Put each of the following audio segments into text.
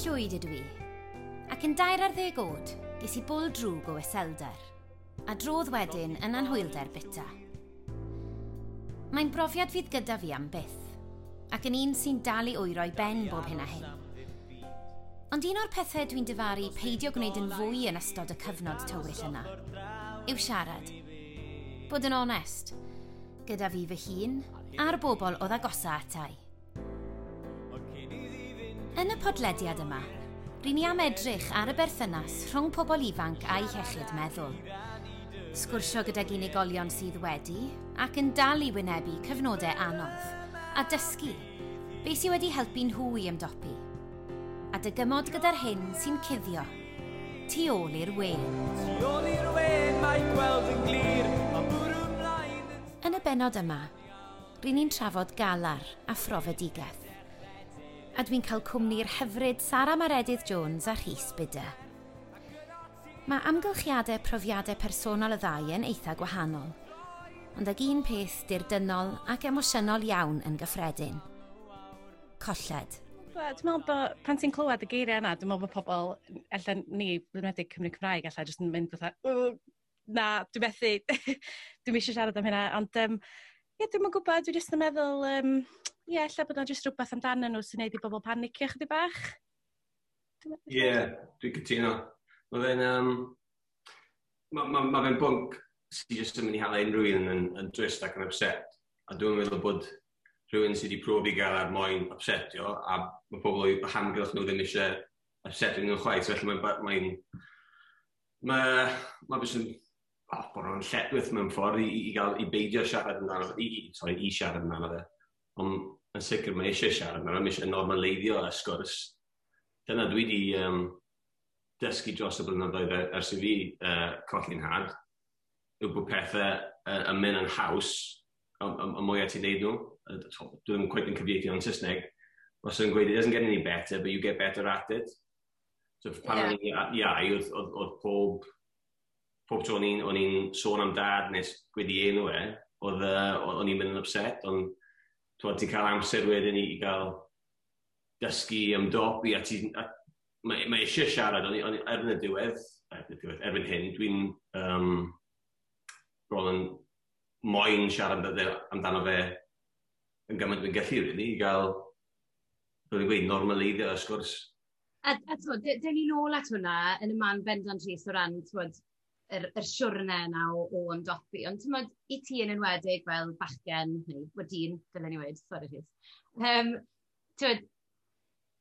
Llwyd ydw i, ac yn 13 oed, ges i bwl drwg o iselder, a drodd wedyn yn anhwylder bita. Mae'n brofiad fydd gyda fi am byth, ac yn un sy'n dal i oero i ben bob hyn a hyn. Ond un o'r pethau dwi'n difaru peidio gwneud yn fwy yn ystod y cyfnod tywyll yna, yw siarad. Bod yn onest, gyda fi fy hun a'r bobl oedd agosa atai. Yn y podlediad yma, ry'n ni am edrych ar y berthynas rhwng pobl ifanc a'i hiechyd meddwl. Sgwrsio gydag unigolion sydd wedi ac yn dal i wynebu cyfnodau anodd, a dysgu beth sydd wedi helpu nhw i ymdopi. A dygymod gyda'r hyn sy'n cuddio tu ôl i'r wên. Tu ôl i'r wên mae gweld yn glir, mae bwrw mlaen yn. Yn y bennod yma, ry'n ni'n trafod galar a phrofedigaeth. A dwi'n cael cwmni'r hyfryd Sara Maredudd Jones a Rhys Bidder. Mae amgylchiadau profiadau personol y ddau yn eitha gwahanol, ond ag un peth dirdynnol ac emosiynol iawn yn gyffredin. Colled. Wel, dwi'n meddwl bod pan ti'n clywed y geiriau yna, dwi'n meddwl bod pobl, ella ni, yn enwedig Cymru Cymraeg, ella jyst yn mynd fatha, "Ww, na, dwi'n methu, dwi'm eisiau siarad am hynna." Ond, ie, dwi'm yn gwybod, dwi jyst yn meddwl, ie, ella bod yna jyst rhywbeth amdanyn nhw sy'n neud i bobl panicio chydig bach. Ie, yeah, dwi'n cytuno. Mae fe'n um, ma, ma, ma fe'n bwnc sydd jyst yn mynd i hala unrhyw un yn drist ac yn upset. A dwi'n meddwl bod rhywun sydd wedi profi galar moyn upsetio, a mae pobl o'i hamgylch nhw ddim eisiau upsetio nhw'n chwaith. So felly mae jyst yn, oh, bod o'n lletchwith mewn ffordd i gael, i beidio siarad amdano, sorry, i siarad amdano fe. Ond yn sicr mae eisiau siarad amdano, mae eisiau normaleiddio y sgwrs. Dyna dwi wedi dysgu dros y blynyddoedd ers i fi colli'n nhad, yw bod pethau yn mynd yn haws y mwyaf ti'n neud nhw. Dwi ddim quite yn cyfieithu o'n Saesneg. Os yn gweud, "It doesn't get any better, but you get better at it." So pan o'n i'n iau, oedd pob tro o'n i'n sôn am Dad neu gweud i enw e, o'n i'n mynd yn upset, ond ti'n cael amser wedyn i gael dysgu ymdopi a mae eisiau siarad, ond erbyn y diwedd, erbyn hyn, dwi'n bron yn moyn siarad amdano fe yn gymaint dwi'n gallu, really, i gael, fel dwi'n gweud, normaleiddio y sgwrs. A t'mod, dyn ni nôl at hwnna yn y man bendant, Rhys, o ran, t'mod, yr siwrne yna o ymdopi. Ond t'mod, i ti yn enwedig fel bachgen, neu wel dyn, dylen ni weud, sori Rhys. T'mod,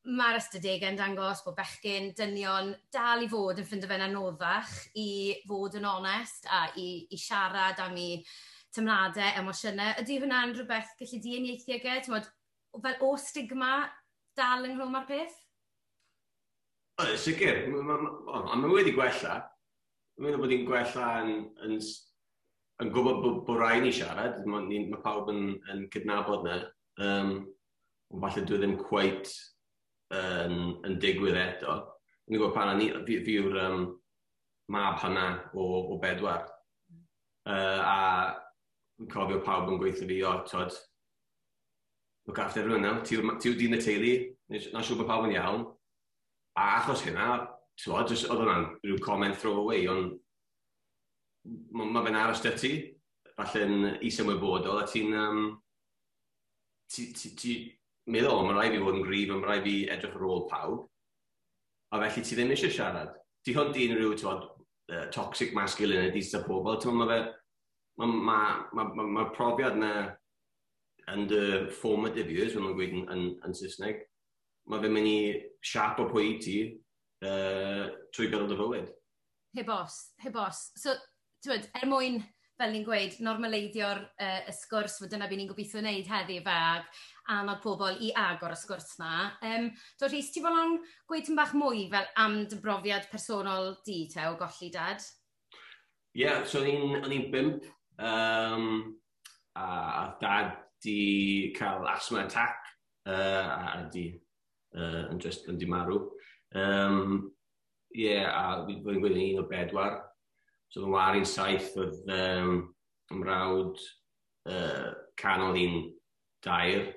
mae'r ystadegau'n dangos bod bechgyn, dynion, dal i fod yn ffindo fe'n anoddach i fod yn onest a i siarad am eu teimladau, emosiynau. Ydy hwnna'n rhywbeth gallu di uniaethu ag e? T'mod, fel o stigma dal ynghlwm â'r peth? O, sicr. Ma wedi gwella. Dwi'n meddwl bod hi'n gwella yn gwybod bod rhaid ni siarad. Mae pawb yn cydnabod na. Ond falle dwi ddim quite yn digwydd eto. Dwi'n gwybod pan o'n i, fi yw'r mab hynna o bedwar. A fi'n cofio pawb yn gweithio fi, "O, tod, look after everyone now, ti yw dyn y teulu, na siŵr bod pawb yn iawn." A achos hynna, t'mod, jyst oedd hwnna'n rhyw comment throw away, ond ma fe'n aros 'da ti, falle'n is-ymwybodol, a ti'n um, ti, ti, ti meddwl, "Mae rhaid fi fod yn gryf, mae rhaid fi edrych ar ôl pawb." A felly ti ddim eisiau siarad. Ti hwnt i unrhyw, t'mod, toxic masculinity sydd pobl, ti'n mae fe, mae ma, ma, ma, ma profiad na yn dy formative years, fel ma'n gweud yn Saesneg, mae fe'n mynd i siapo pwy i ti trwy gydol dy fywyd. Heb os, heb os. So, t'wod, er mwyn, fel ni'n gweud, normaleiddio'r y sgwrs, fod dyna beth ni'n gobeithio wneud heddi fe, ag annog pobl i agor y sgwrs na. Do, Rhys, ti bolon gweud tipyn bach mwy fel am dy brofiad personol di te o golli Dad? Ie, yeah, so o'n i'n 5, a Dad di cael asthma attack, a di, yn just yn di marw. Yeah, a fi'n gweud yn un o bedwar. So fy ngwâr i'n 7, oedd mrawd canol i'n 3,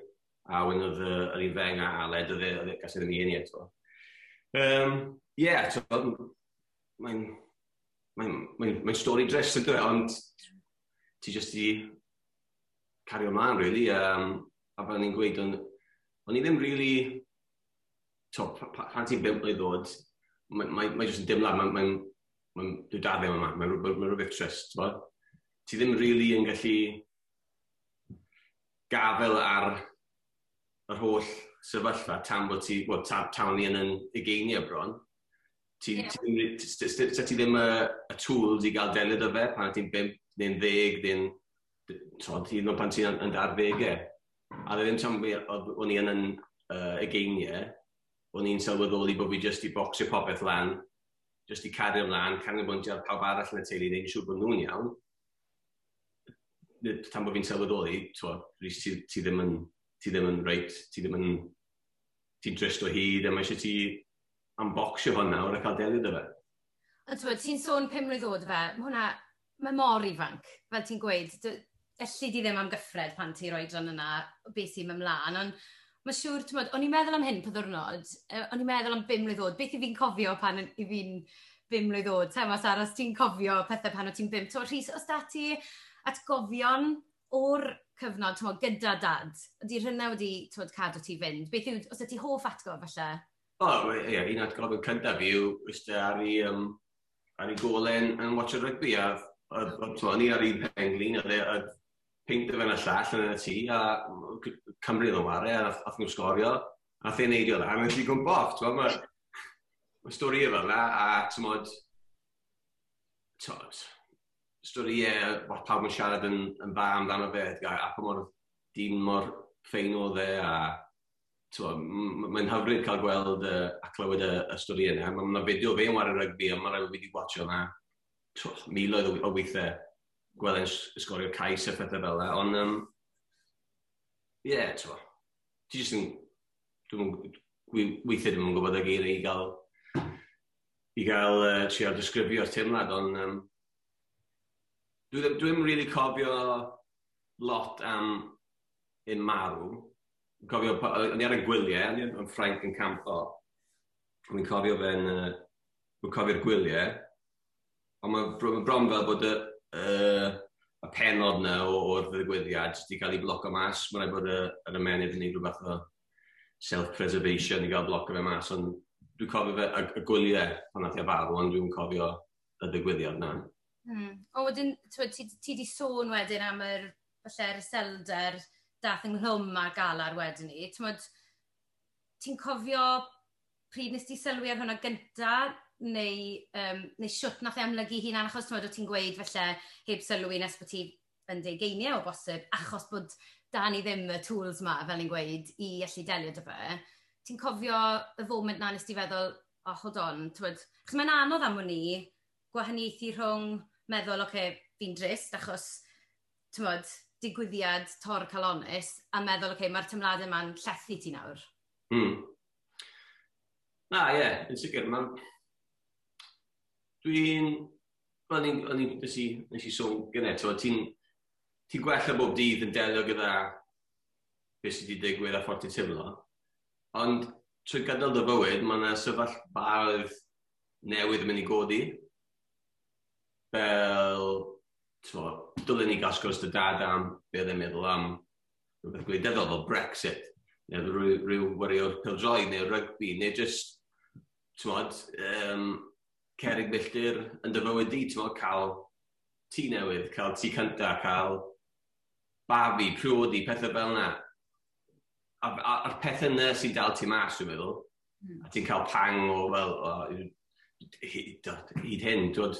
a wedyn oedd yr un fenga, Aled, oedd e, gas e ddim ei eni eto. Yeah, so, mae'n mae stori drist yn dweud, ond ti jyst i cario ymlaen, really. A fel ni'n gweud, o'n i ddim really, to, pan ti'n 5 mlwydd oed, mae jyst yn dimlad, mae dwi dad ddim yma, mae rhywbeth trist, t'bo? Ti ddim really yn gallu gafel ar yr holl sefyllfa tan bod ti, well, tan ni yn ugeiniau bron. Ti, yeah. Ti ddim y tools i gael delio 'da fe pan ti'n 5 neu'n 10 neu'n hyd yn oed pan ti'n yn arddegau. A ddim tan o'n i yn ugeiniau, o'n i'n sylweddoli bod fi jyst i bocsio popeth lan, jyst i cario ymlaen, canolbwyntio ar pawb arall yn y teulu, neu'n siŵr bod nhw'n iawn. Tan bod fi'n sylweddoli, Rhys, ti ddim yn reit, ti ddim yn, ti'n drist o hyd, a mae eisiau ti unboxio hwn nawr a cael delio 'da fe. Ond ti'n ti'n sôn 5 mlwydd oed fe, mae hwnna, mae mor ifanc, fel ti'n gweud, elli di ddim amgyffred pan ti'n rhoi oedran yna beth sy'n ymlaen, ond mae siŵr, ti'n o'n i'n meddwl am hyn pa ddwrnod, o'n i'n meddwl am 5 mlwydd oed, beth i fi'n cofio pan i fi'n 5 mlwydd oed, te, Sara, os ti'n cofio pethau pan o ti'n 5, ti'n Rhys, os da ti atgofion o'r cyfnod, ti'n gyda dad, ydy rhywna wedi, ti'n cadw ti fynd? Beth yw, os ydy hoff atgof falle? O, ie, un atgof yn cyntaf yw, eistedd ar ei golen yn watch rygbi, a o'n i ar un penglin, a peint o fe'n y llall yn y tŷ, a Cymru oedd yn ware, a nath nhw sgorio, a nath e'n neidio lan, a nes i gwmpo off, ti'n mae stori fel yna, a ti'n modd, stori e, pawb yn siarad yn dda amdano fe, a pa mor dyn mor ffein oedd e, a mae'n hyfryd cael gweld a clywed y stori yna. Mae yna fideo fe yn ware rygbi, a mae'n rhaid fi wedi watcho yna miloedd o weithiau gweld e'n sgorio cais a phethau fel yna. Ond, ie, yeah, ti jyst yn, dwi'n weithiau ddim yn gwybod y geiriau i gael trio disgrifio'r teimlad, ond dwi ddim really cofio lot am un marw. Cofio, o'n i ar y gwyliau, o'n i yn Ffrainc yn campo. O'n i'n cofio fe'n, cofio'r gwyliau. Ond mae bron fel bod y penod na o'r ddigwyddiad wedi cael ei bloco mas. Mae'n rhaid bod yr ymennydd yn gwneud rhywbeth o self-preservation i gael bloco fe mas. Ond dwi'n cofio fe, y gwyliau pan nath i farw, ond dwi'n cofio y ddigwyddiad na. O, wedyn, ti di sôn wedyn am yr, falle'r iselder dath ynghlwm â galar wedyn ni. Ti'n cofio pryd nes ti sylwi ar hwnna gynta, neu siwt nath e amlygu hunan, achos ti'n ti'n gweud falle heb sylwi nes bod ti yn degeiniau o bosib, achos bod da ni ddim y tools ma, fel ni'n gweud, i allu delio 'da fe. Ti'n cofio y foment na nes ti feddwl, "Oh, hold on," ti'n, achos mae'n anodd am hwn i gwahaniaethu rhwng meddwl, "Oce, okay, fi'n drist, achos, ti'n digwyddiad tor calonus," a meddwl, "Oce, okay, mae'r teimladau yma'n llethu ti nawr." Na, ie, yeah, yn sicr. Dwi'n... Wel, nes i sôn gynnau, ti'n ti gwella bob dydd yn delio gyda beth sydd wedi digwydd a ffordd ti'n teimlo. Ond trwy gydol dy fywyd, mae yna sefyllfaoedd newydd yn mynd i godi. Fel, dylen ni gael sgwrs 'da dad am be oedd e'n meddwl am rhywbeth gwleidyddol fel Brexit, neu rhyw chwaraewr pêl-droed, neu rygbi, neu just, ti'n cerrig milltir yn dy fywyd di, ti'n cael tŷ newydd, cael tŷ cyntaf, cael babi, priodi, pethau fel yna. A'r pethau yna sy'n dal ti mas, dwi'n meddwl. A ti'n cael pang o fel, o, hyd hyn, ti'n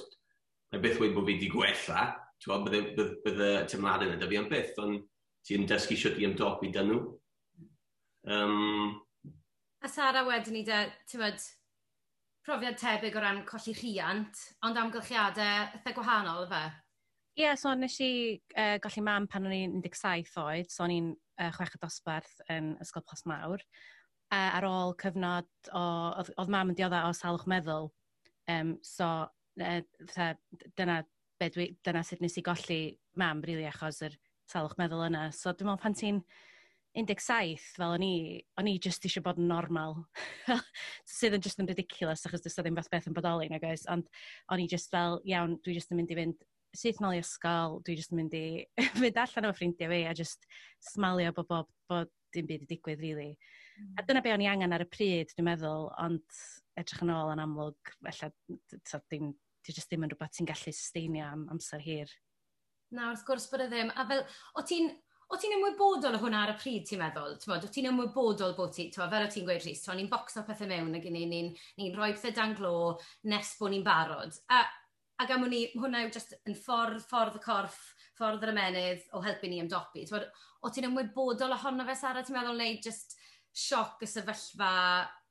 mae byth wedi bod fi wedi gwella, ti'n bydde teimladau yna 'da fi am byth, ond ti'n dysgu sut i ymdopi 'da nhw. A Sara wedyn ni de, ti'n profiad tebyg o ran colli rhiant, ond amgylchiadau eitha gwahanol, fe? Ie, yeah, so nes i golli mam pan o'n i'n 17 oed, so o'n i'n chweched dosbarth yn Ysgol Plas Mawr. Ar ôl cyfnod o, oedd mam yn diodda o salwch meddwl, so dyna sut nes i golli mam, really, achos yr salwch meddwl yna. So dwi'n meddwl pan ti'n 17 fel o'n i just eisiau bod yn normal. Sydd yn just yn ridiculous achos does ddim fath beth yn bodoli, nag oes. Ond o'n i just fel, iawn, dwi just yn mynd i fynd syth nôl i ysgol, dwi just yn mynd i fynd allan efo ffrindiau fi a just smalio bod dim byd i digwydd, really. A dyna be o'n i angen ar y pryd, dwi'n meddwl, ond edrych yn ôl yn amlwg, felly, so, dim, di just ddim yn rhywbeth ti'n gallu susteinio am amser hir. Na, wrth gwrs bod e ddim. A fel, o ti'n ymwybodol o hwnna ar y pryd, ti'n meddwl? T'mod, o ti'n ymwybodol bod ti, t'mod, fel o ti'n gweud, Rhys, t'mod, ni'n bocso pethau mewn ac ni rhoi pethau dan glo nes bod ni'n barod. A am hwnni, hwnna yw just yn ffordd y corff, ffordd yr ymennydd o helpu ni ymdopi. T'mod, o ti'n ymwybodol ohono fe, Sara, ti'n meddwl, neu just sioc y sefyllfa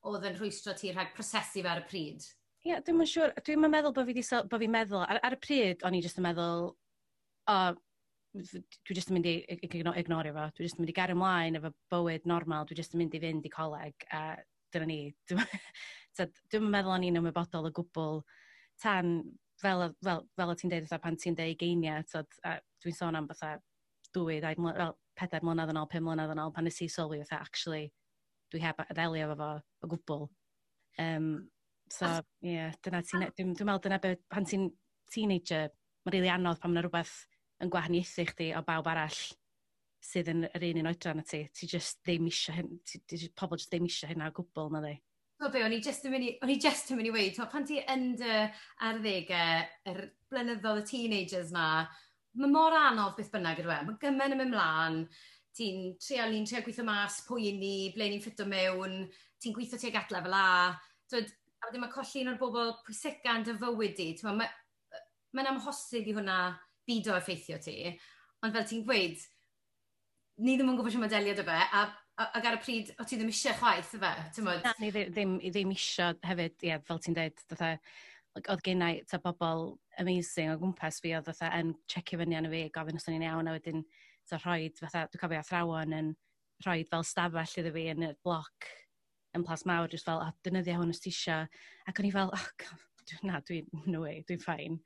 oedd yn rhwystro ti rhag prosesu fe ar y pryd? Ie, yeah, dwi'n siŵr. Dwi'n meddwl bod fi wedi bod fi'n meddwl, ar y pryd, o'n i jyst yn meddwl, o, dwi jyst yn mynd i ignorio fo. Dwi jyst yn mynd i gario ymlaen efo bywyd normal. Dwi jyst yn mynd i fynd i coleg a dyna ni. Dwi'n meddwl o'n i'n ymwybodol o gwbl tan fel o ti'n deud, fatha pan ti'n deud ugeiniau, tyd, a dwi'n sôn am fatha 2, 2, fel 4 mlynedd yn ôl, 5 mlynedd yn ôl, pan nes i sylwi fatha, actually, dwi heb ddelio efo fo o gwbl. So, ie, yeah, dyna ti'n, dwi'n meddwl dyna be, pan ti'n teenager, mae'n rili anodd pan mae'n rhywbeth yn gwahaniaethu chdi o bawb arall sydd yn yr un oedran â ti. Ti just ddim isio hyn, pobl just ddim isio hynna o gwbl, na di. So be, o'n i just yn mynd i weud, pan ti yn dy arddegau, yr blynyddoedd y teenagers na, mae mor anodd beth bynnag ydw e. Mae gymaint yn mynd mlaen, ni'n trio gweithio mas pwy i ni, ble ni'n ffito mewn, ti'n gweithio tuag at lefel A, twyd, a wedyn mae colli un o'r bobl pwysica yn dy fywyd di. Mae'n amhosib i hwnna bido effeithio ti, ond fel ti'n gweud, ni ddim yn gwybod sut mae delio 'da fe, a ac ar y pryd, o ti ddim eisiau chwaith, ife? T'mod? Na, ni ddim isio hefyd, ie, fel ti'n dweud, fatha, like, oedd gennau ta bobl amazing o gwmpas fi, oedd fatha yn checio fyny arno fi, gofyn os o'n i'n iawn, a wedyn ta rhoid, fatha, dwi'n cofio athrawon yn rhoi fel stafell iddo fi yn y bloc yn Plas Mawr, just fel, "Oh, defnyddio hwn os ti isio." Ac o'n i fel, "Oh, God, na, dwi'n, no way, dwi'n fine."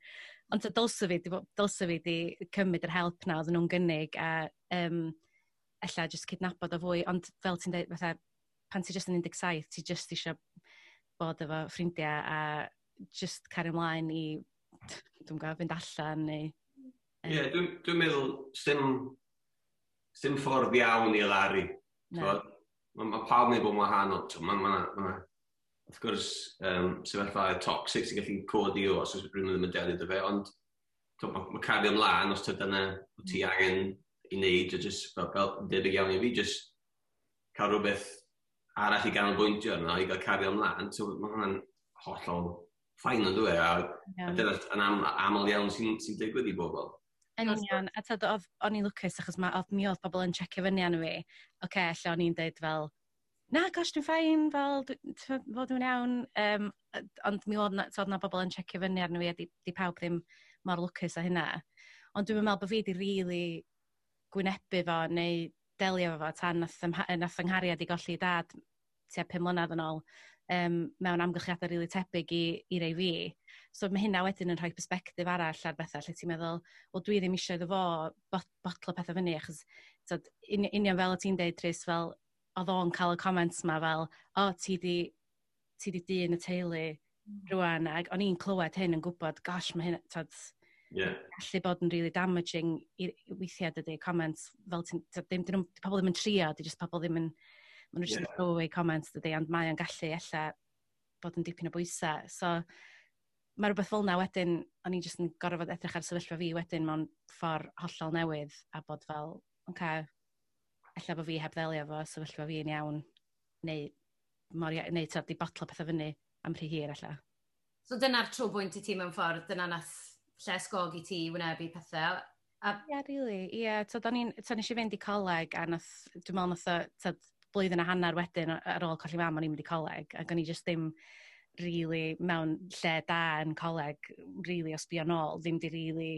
Ond ta dylse fi di cymryd yr help na oedden nhw'n gynnig a ella just cydnabod o fwy, ond fel ti'n dweud, fatha, pan ti just yn 17, ti just eisiau bod efo ffrindiau a just cario ymlaen i, dwi'n gwybod, fynd allan neu. Ie, yeah, dwi meddwl, sim ffordd iawn i alaru. Na. Mae pawb yn bod yn wahanol. Mae wrth gwrs, sefyllfa toxic sy'n gallu codi o os oes rhywun ddim yn delio 'da fe, ond mae cario ymlaen os dyna wyt ti angen i wneud, o just, fel debyg iawn i fi, just cael rhywbeth arall i ganolbwyntio arno, i gael cario ymlaen, so mae hwnna'n hollol fine yn dwi, a dyna yn aml iawn sy digwydd i bobl. Yn union, a tyd, o'n i'n lwcus achos mi oedd pobl yn checio fyny arno fi. Oce, okay, ella o'n i'n deud fel, "Na, gosh, dwi'n fine, fel, fod dwi'n iawn." Ond mi oedd na bobl yn checio fyny arno fi a di pawb ddim mor lwcus â hynna. Ond dwi'n meddwl bod fi di really gwynebu fo neu delio efo fo tan nath yng nghariad i golli dad tua 5 mlynedd yn ôl mewn amgylchiadau rili really tebyg i rei fi. So mae hynna wedyn yn rhoi perspectif arall ar bethau lle ti'n meddwl, wel, dwi ddim eisiau iddo fo botlo pethau fyny, achos tyd, union fel o ti'n deud, Tris, fel oedd o'n cael y comments ma fel, "O, ti di dyn y teulu rwan," ac o'n i'n clywed hyn yn gwybod, gosh, mae hyn, tyd, gallu bod yn really damaging i weithiau dydy, comments, fel ti'n, tyd, ddim, di pobl ddim yn trio, di just pobl ddim yn, maen nhw just yn throw away comments dydy, ond mae o'n gallu ella bod yn dipyn o bwysau. So, mae rhywbeth fel yna wedyn, o'n i jyst yn gorfod edrych ar sefyllfa fi wedyn mewn ffordd hollol newydd a bod fel, oce, okay, ella bod fi heb ddelio efo sefyllfa fi yn iawn, neu, neu tyd, di botlo pethau fyny am rhy hir ella. So dyna'r trobwynt i ti mewn ffordd, dyna nath ysgogi ti wynebu pethau. Ie, yeah, really. Ie, yeah, tyd, tyd, nes i fynd i coleg a nath, dwi'n meddwl nath o, tyd, blwyddyn a hanner wedyn ar ôl colli mam o'n i'n mynd i coleg ac o'n i just ddim really mewn lle da yn coleg, really o sbio nôl, ddim di really,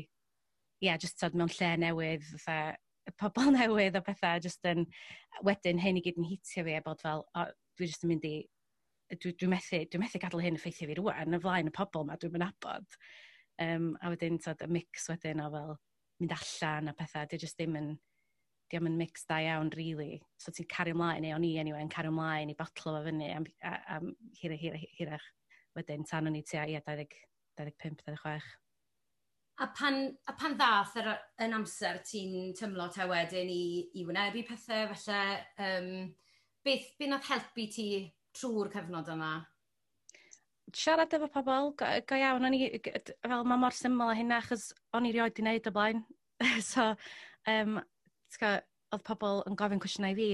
ie, yeah, just tyd, mewn lle newydd, fatha, pobl newydd a pethau, just yn, wedyn hyn i gyd yn hitio fi a bod fel, o, dwi just yn mynd i, dwi methu gadael hyn effeithio fi rwan, yn flaen y pobl ma dwi'n nabod. A wedyn, tyd, y mix wedyn o fel mynd allan a pethau, di just ddim yn, Di yn mix da iawn, really. So ti'n cario ymlaen, neu o'n i anyway, yn cario ymlaen i botlo fo fyny am hirach, hirach, hirach. Wedyn, tan o'n i tua, ie, 20, 25, 26. A pan ddath yn amser ti'n tymlo te wedyn i wynebu pethau, falle, beth nath helpu ti trwy'r cyfnod yma? Siarad efo pobl, go iawn, o'n i, fel mae mor syml â hynna, achos o'n i rioed 'di wneud o blaen. So, oedd pobl yn gofyn cwestiynau i fi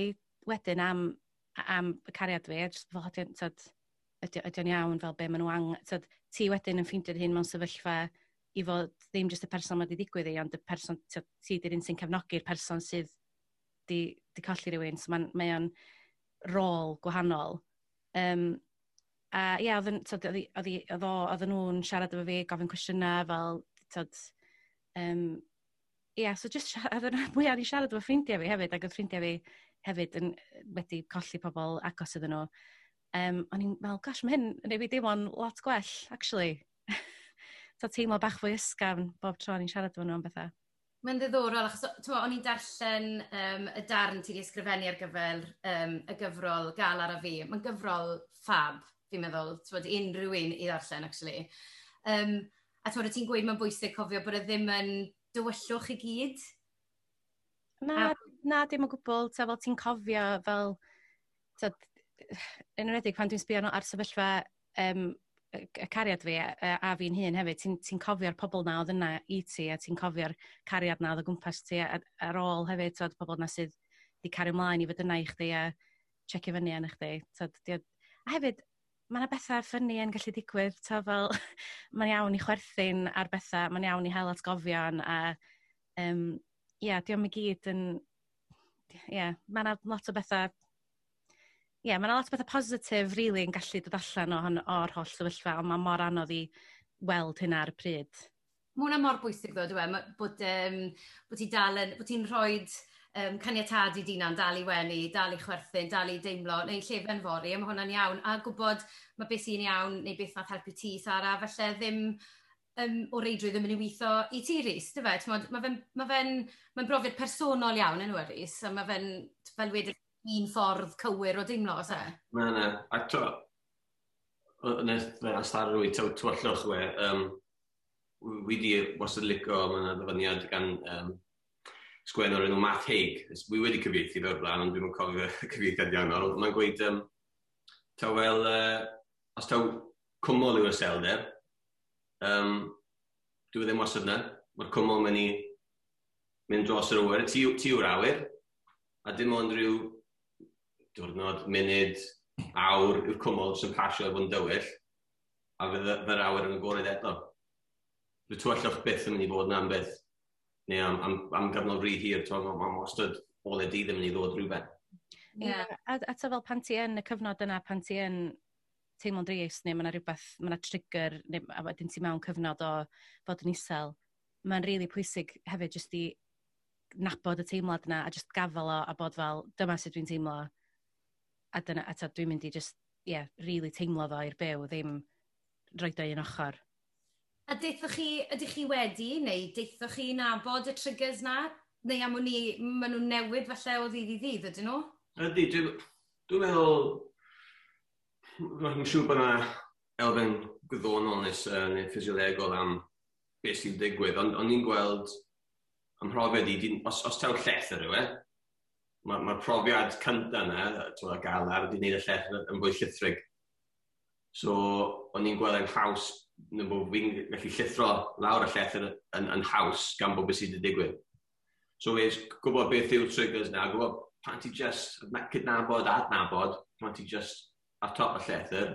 wedyn am y cariad fi, a just fel, tyd, ydy o'n iawn, fel be maen nhw tyd, ti wedyn yn ffeindio dy hun mewn sefyllfa i fod ddim jyst y person mae wedi digwydd i, ond y person, tyd, ti di'r un sy'n cefnogi'r person sydd di colli rhywun, so mae o'n rôl gwahanol. A ie, oedd, tyd, oedd nhw'n siarad efo fi, gofyn cwestiynau fel, tyd, ie, so just siarad, oedd mwy i siarad efo ffrindiau fi hefyd, ac oedd ffrindiau fi hefyd wedi colli pobl agos iddyn nhw. O'n i'n meddwl, gosh, mae hyn yn ei fi deimlo'n lot gwell, actually. So teimlo bach fwy ysgafn bob tro o'n i'n siarad efo nhw am bethau. Mae'n ddiddorol, achos t'mo, o'n i'n darllen y darn ti wedi ysgrifennu ar gyfer y gyfrol Galar a Fi. Mae'n gyfrol ffab, fi'n meddwl, t'mod, unrhyw un i ddarllen, actually. A t'mod, ti'n gweud mae'n bwysig cofio bod e ddim yn dywyllwch i gyd. Na, na, dim o gwbl. Ta, fel ti'n cofio, fel, tyd, yn enwedig pan dwi'n sbio ar sefyllfa y cariad fi a fi'n hun hefyd, ti'n ti cofio'r pobl na oedd yna i ti, a ti'n cofio'r cariad na oedd o gwmpas ti ar ôl hefyd, tyd, pobl na sydd di cario ymlaen i fod yna i chdi a checio fyny arna chdi. Tyd, a hefyd, mae yna bethau funny yn gallu digwydd, ta fel, mae'n iawn i chwerthin ar bethau, mae'n iawn i hel atgofion, a ie, diolch i gyd yn, ie, mae yna lot o bethau, ie, mae yna lot o bethau positif, really, yn gallu dod allan o'r holl sefyllfa, ond mae mor anodd i weld hynna ar y pryd. Mae hwnna mor bwysig ddo, dwi e, bod ti dal yn, bod ti'n rhoi caniatâd i d'hunan, dal i wenu, dal i chwerthin, dal i deimlo, neu llefen fory, a mae hwnna'n iawn. A gwybod mae beth sy'n iawn, neu beth nath helpu ti, Sara, falle ddim o reidrwydd ddim yn ei weithio i ti, Rhys, dy fe? T'mod, mae fe'n brofiad personol iawn yn yw e, Rhys, a mae fe'n, fel wedi, un ffordd cywir o deimlo, oes e? Na, na. A to, nes astarwy, tywyllwch we, wi di wastad licio, mae yna ddyfyniad gan sgwennwr enw Matt Haig. Wi wedi cyfieithu fe o'r blaen, ond dwi'n cofio y cyfieithiad iawn. Ond mae'n gweud, taw fel, os taw cwmwl yw'r iselder, dwi ddim wastad yna. Mae'r cwmwl mynd i mynd dros yr awyr. Ti yw'r awyr, a dim ond rhyw diwrnod, munud, awr yw'r cwmwl sy'n pasio efo yn dywyll, a fydd yr awyr yn agored eto. Bydd tywyllwch byth yn mynd i fod yna am byth. Neu am gyfnod rhy hir, mae wastad ole dydd yn mynd i ddod rhywbeth. Ie, a ta fel pan ti yn y cyfnod yna, pan ti yn teimlo'n drist, neu mae yna rhywbeth, mae yna trigger, neu a wedyn ti mewn cyfnod o fod yn isel, mae'n rili really pwysig hefyd jyst i nabod y teimlad yna a just gafel o a bod fel, dyma sut dwi'n teimlo, a dyna, a ta, dwi'n mynd i just, yeah, really teimlo fo i'r byw, ddim roed o un ochr. A deithoch chi, ydych chi wedi, neu deithoch chi nabod y triggers na? Neu am wn i, maen nhw'n newid falle o ddydd i ddydd, ydyn nhw? Ydy, dwi'n meddwl, mae'n siŵr bod yna elfen gwyddonol neu ffisiolegol am beth sy'n digwydd, ond o'n i'n gweld ym mhrofiad i, os taw llethr yw e, mae'r ma profiad cyntaf yna, ti'n galar, wedi gwneud y llethr yn fwy llithrig. So, o'n i'n gweld yn haws, neu bod fi'n gallu llithro lawr y llethr yn haws gan bod beth sydd wedi digwydd. So, wes, gwybod beth yw'r triggers na, gwybod pan ti just cydnabod a adnabod, pan ti just ar top y llethr,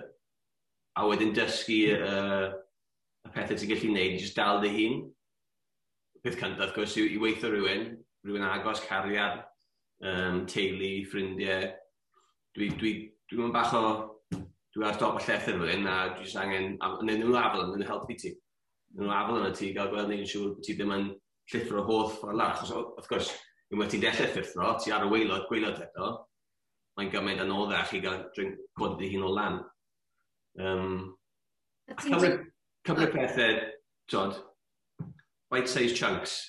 a wedyn dysgu y pethau ti'n gallu gwneud, i just dal dy hun. Peth cyntaf, wrth gwrs, yw i weithio rhywun, rhywun agos, cariad, teulu, ffrindiau. Dwi dwi bach o, dwi ar top y llethr fel hyn, a dwi jyst angen, a neu nhw'n afel yn helpu ti. Nhw'n afel yn ti, gael gweld neu'n siŵr bod ti ddim yn llithro holl ffordd lawr. Achos, wrth gwrs, unwaith ti'n dechrau llithro, ti ar y waelod, gwaelod eto, mae'n gymaint anoddach i gael drink codi dy hun o lan. A ti'n cymryd pethau, tod, bite-sized chunks.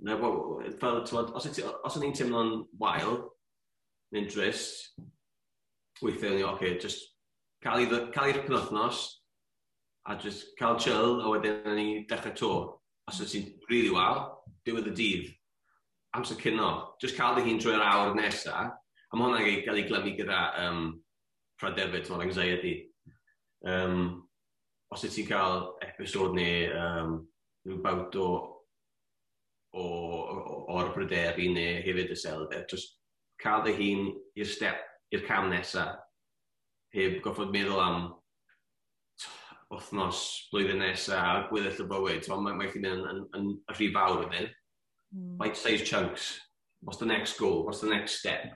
Na, fel, t'mod, os o'n i'n teimlo'n wael, neu'n drist, weithiau o'n i, okay, just cael i'r penwthnos, a just cael chill, a wedyn o'n i dechrau to. Os oes ti'n really wael, diwedd y dydd, amser cino, just cael dy hun trwy'r awr nesa, a mae hwnna'n gael ei glymu gyda pryder fyd, ti'n anxiety. Os wyt ti'n cael episod neu rhyw bout o'r bryderu neu hefyd y iselder, just cael dy hun i'r step, i'r cam nesa, heb goffod meddwl am wythnos, blwyddyn nesa, a gweddill y bywyd. So, mae chi'n mynd yn rhy fawr wedyn. Bite sized chunks. What's the next goal? What's the next step?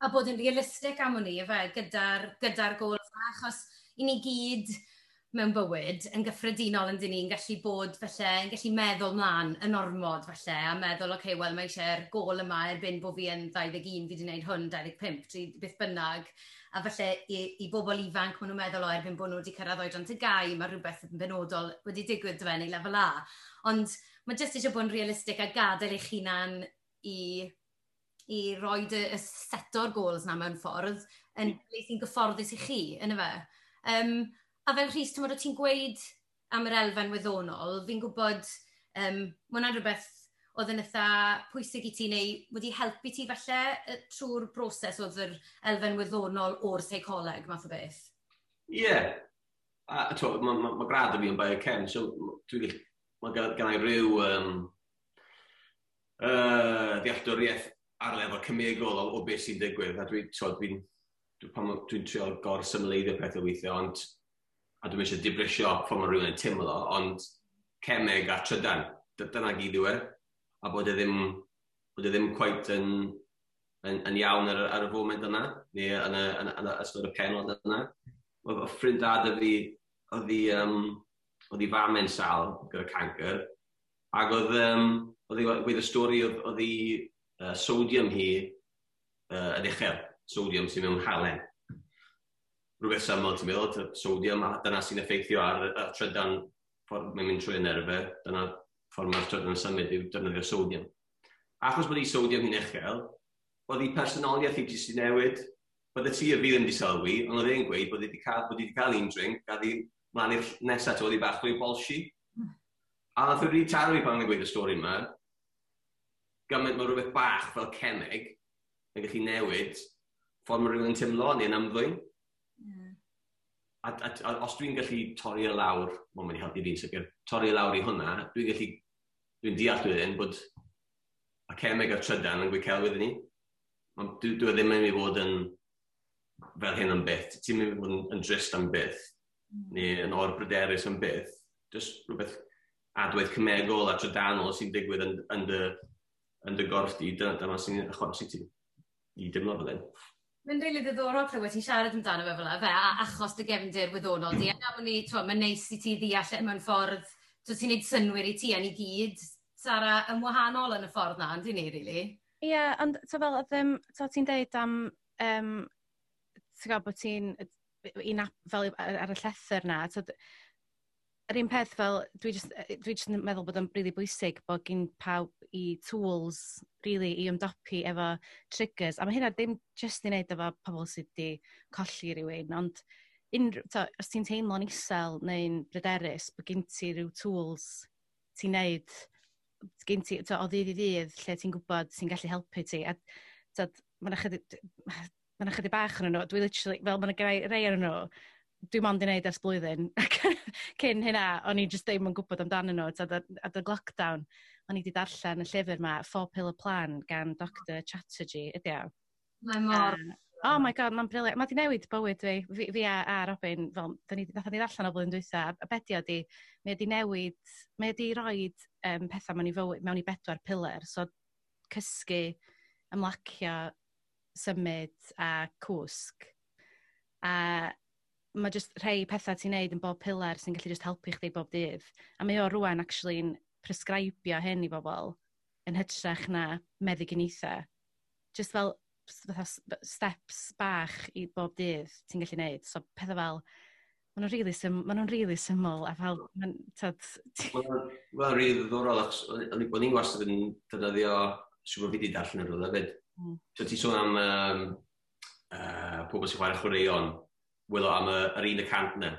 A bod yn realistig am hwnni, efe, gyda goals yma, achos i ni gyd mewn bywyd yn gyffredinol yn dyn ni'n gallu bod falle, yn gallu meddwl mlaen yn ormod falle, a meddwl, okay, wel mae eisiau'r gôl yma erbyn bod fi yn 21, fi wedi gwneud hwn, 25, 3, beth bynnag. A falle i bobl ifanc, maen nhw'n meddwl o erbyn bod nhw wedi cyrraedd oedran TGAU, mae rhywbeth yn benodol wedi digwydd dy fe neu lefel A. Ond mae jyst eisiau bod yn realistig a gadael eich hunan i roi y seto'r goals na mewn ffordd yn ble sy'n gyfforddus i chi, yn y fe. A fel Rhys, ti'n ti'n gweud am yr elfen wyddonol, fi'n gwybod, mae hwnna'n rhywbeth oedd yn eitha pwysig i ti neu wedi helpu ti falle trwy'r broses oedd yr elfen wyddonol o'r seicoleg, math o beth? Ie. Yeah. A mae gradd y fi yn biochem, so mae gen i ryw ddealltwriaeth ar lefel cemegol o beth sy'n digwydd, a dwi'n dwi, dwi, dwi, dwi trio gor-symleiddio pethau weithiau, ond a dwi'n eisiau dibrisio ffordd mae rhywun yn teimlo, ond cemeg a trydan, dyna gyd yw e, a bod e ddim quite yn iawn ar y foment yna, neu yn y ystod y penod yna. Oedd ffrind da 'da fi, oedd i fam yn sal gyda cancer, ac oedd hi gweud y stori oedd hi sodium hi yn uchel, sodium sy'n mewn halen. Rhywbeth syml ti'n meddwl, sodium, a dyna sy'n effeithio ar y trydan ffordd mae'n mynd trwy y nerfau, dyna ffordd mae'r trydan yn symud yw defnyddio sodium. Achos bod ei sodium hi'n uchel, oedd ei personoliaeth hi jyst i newid. Bydde ti a fi ddim wedi sylwi, ond oedd e'n gweud bod hi wedi cael un drink, a ddi mlaen i'r nesaf, oedd hi bach fwy bolshy. A nath o really taro fi pan o'n gweud y stori yma, gymaint mae rhywbeth bach fel cemeg yn gallu newid ffordd mae rhywun yn teimlo neu'n ymddwyn. A os dwi'n gallu torri e lawr, mae'n mynd i helpu fi'n sicr, torri e lawr i hwnna, dwi'n deall wedyn bod y cemeg a'r trydan yn gweud celwydd i ni. Ond dwi ddim yn mynd i fod yn fel hyn am byth. Ti'n mynd i fod yn drist am byth, neu yn orbryderus am byth. Just rhywbeth adwaith cemegol a trydanol sy'n digwydd yn dy gorff di, dyma sy'n achosi ti i dimlo fel hyn. Mae'n rili ddiddorol clywed ti'n siarad amdano fe fel 'na, fe, achos dy gefndir wyddonol di. A bod ni, t'mo, mae'n neis i ti ddeall e mewn ffordd, t'wo, ti'n neud synnwyr i ti a ni gyd, Sara, yn wahanol yn y ffordd na, yndyn ni, really? Ie, yeah, ond to fel, oedd, to ti'n deud am, ti'n gwybod bod ti'n, fel ar y llethr na, to, yr un peth fel, dwi just yn meddwl bod o'n really bwysig bod gen pawb i tools, really, i ymdopi efo triggers. A mae hynna ddim just i wneud efo pobl sydd wedi colli rhywun, ond unrhyw, to, os ti'n teimlo'n isel neu'n bryderus, bod gen ti rhyw tools ti'n neud, gen ti, to, o ddydd i ddydd, lle ti'n gwybod sy'n gallu helpu ti. A to, mae 'na chydig bach yn nhw. Dwi literally, fel mae 'na rei ar nhw, dwi mond i wneud ers blwyddyn. Cyn hynna, o'n i just ddim yn gwybod amdanyn nhw. Tyd, adeg lockdown, o'n i wedi darllen y llyfr ma, Four Pillar Plan, gan Dr Chatterjee, ydy o? Mae mor Oh my God, mae'n brilliant. Mae di newid bywyd fi, fi a Robin, fel, nathon ni ddarllen o blwyddyn dwytha, a be di o di, mae wedi newid, mae wedi rhoi pethau mewn i fywyd, mewn i bedwar pillar, so cysgu, ymlacio, symud a cwsg. A mae just rhai pethau ti'n neud yn bob pillar sy'n gallu just helpu chdi bob dydd. A mae o rwan actually'n prescribio hyn i bobl yn hytrach na meddyginiaethau. Just fel fatha steps bach i bob dydd ti'n gallu neud. So pethau fel, Maen nhw'n really, ma nhw'n really syml, a fel, Mae'n really ddiddorol, achos o'n i'n wastad yn defnyddio, siŵr bod fi wedi darllen yn rhywle hefyd. So ti'n sôn am pobl sy'n chwarae chwaraeon, wylo am yr 1% na.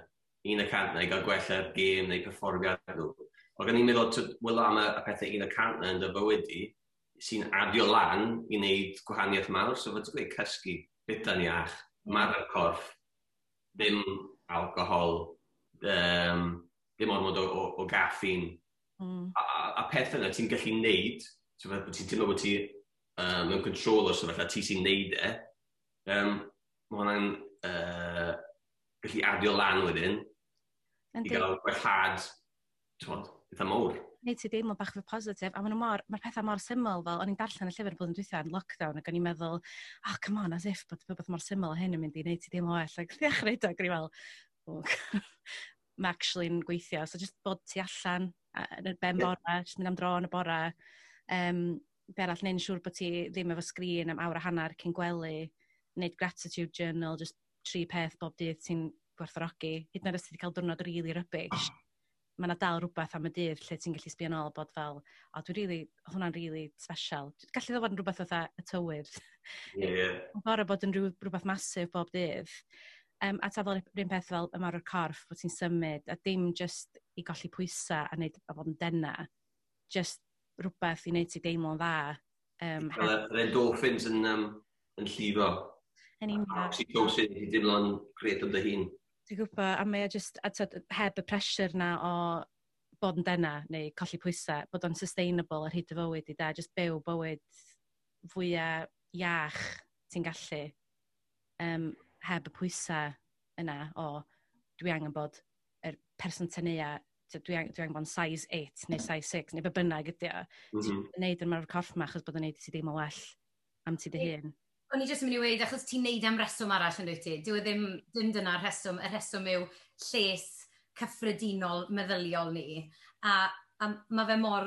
1% na i gael gwella'r gêm neu perfformiad nhw. Ond gan i'n meddwl, wylo am y pethau 1% na yn dy fywyd di, sy'n adio lan i wneud gwahaniaeth mawr. So fod ti'n gweud cysgu, bita'n iach, marfer corff, ddim alcohol, ddim ormod o gaffein. A pethau yna ti'n gallu neud, so fel bod ti'n teimlo bod ti mewn control o'r sefyllfa, ti sy'n neud e, mae hwnna'n gallu adio lan wedyn i gael gwellhad, t'mod, eitha mawr. Neud ti deimlo bach fwy positif, a mae'r pethau mor syml, fel o'n i'n darllen y llyfr blwyddyn dwytha yn lockdown, ac o'n i'n meddwl, "Oh, come on, as if bod rhywbeth mor syml a hyn yn mynd i neud ti deimlo well," ac ddechrau eto, ac o'n i'n fel, "Oh, mae actually'n gweithio." So just bod ti allan yn y ben bora, just mynd am dro yn y bora, be arall, neud yn siŵr bod ti ddim efo sgrin am awr a hanner cyn gwely, neud gratitude journal, just tri peth bob dydd ti'n gwerthfawrogi, hyd yn oed os ti wedi cael diwrnod really rubbish, mae yna dal rhywbeth am y dydd lle ti'n gallu sbio nôl bod fel, "O, dwi really, oedd hwnna'n really special." Gallu ddod fod yn rhywbeth fatha y tywydd. Ie, ie. Mae'n gorfod bod yn rhywbeth masif bob dydd. A ta fel yr un peth fel ymarfer corff, bod ti'n symud, a dim just i golli pwysau a, neud, a bod yn dena, just rhywbeth i wneud ti deimlo'n dda. Fel yr endorphins yn llifo. Yn union. Oxytocin, i deimlo'n gret am dy hun. Dwi'n gwybod, a mae o just, a t'od, heb y pressure na o bod yn dena neu colli pwysau, bod o'n sustainable ar hyd y fywyd i da, just byw bywyd fwyaf iach ti'n gallu, heb y pwysau yna o dwi angen bod yr person teneua, dwi angen bod yn size 8 neu size 6 neu be bynnag ydi o. Ti'n neud yn ymarfer corff ma achos bod o'n neud i ti deimlo well am ti dy hun. O'n i jyst yn mynd i weud, achos ti'n neud am reswm arall yn dwyt ti. Dyw e ddim, dim dyna'r rheswm. Y rheswm yw lles cyffredinol meddyliol ni. A mae fe mor,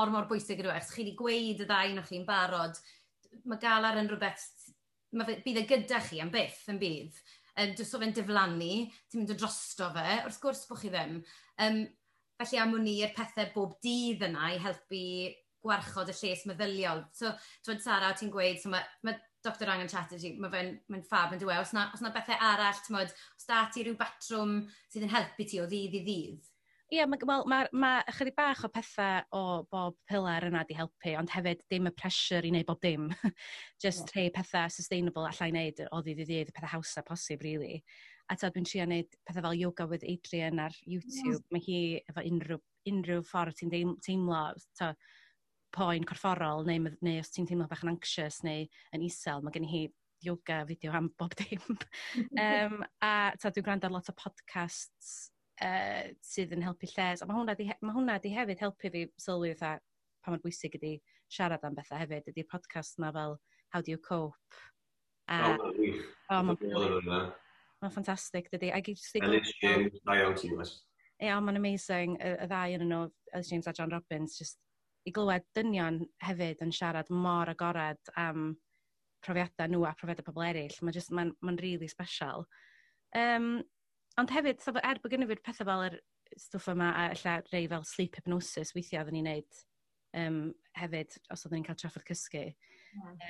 mor bwysig ydw e. Achos chi wedi gweud y ddau ohonoch chi'n barod, mae galar yn rhywbeth, bydd e gyda chi am byth yn bydd. Does o fe'n diflannu, ti'n mynd o drosto fe, wrth gwrs bod chi ddim. Felly am wn i'r pethau bob dydd yna i helpu gwarchod y lles meddyliol. So, twyd Sara, ti'n gweud, so mae Dr Rangan Chatterjee, mae fe'n mae fab yn dweud, os na bethau arall, ti'n os da ti rhyw batrwm sydd yn helpu ti o ddydd i ddydd? Ie, yeah, wel, ma ychydig bach o pethau o bob pilar yna di helpu, ond hefyd dim y pressure i wneud bob dim. Just rhai pethau sustainable allai wneud o ddydd i ddydd, y pethau hawsa posib, really. A ta, dwi'n trio wneud pethau fel Yoga with Adriene ar YouTube. Mae hi efo unrhyw ffordd ti'n teimlo, ta, poen corfforol, neu os ti'n teimlo bach yn anxious neu yn isel, mae gen hi yoga fideo am bob dim. A ta, dwi'n gwrando ar lot o podcasts sydd yn helpu lles. A mae hwnna di hefyd helpu fi sylwi fatha pa mor bwysig ydi siarad am bethau hefyd. Ydy'r podcast yma fel How Do You Cope? A, O, mae'n wych. O, mae'n Dwi'n meddwl hwnna. Mae'n ffantastig, dydy. Ac i jyst i Ellis James, da iawn ti, Wes. Ie, ond mae'n amazing, y ddau yn nhw, Ellis James a John Robbins, just i glywed dynion hefyd yn siarad mor agored am profiadau nhw a profiadau pobl eraill. Mae'n just, mae'n really special. Ond hefyd, so, er bod gennym fi'r pethau fel yr stwff yma, a ella rei fel sleep hypnosis weithiau oedden ni'n neud hefyd, os oedden ni'n cael trafferth cysgu.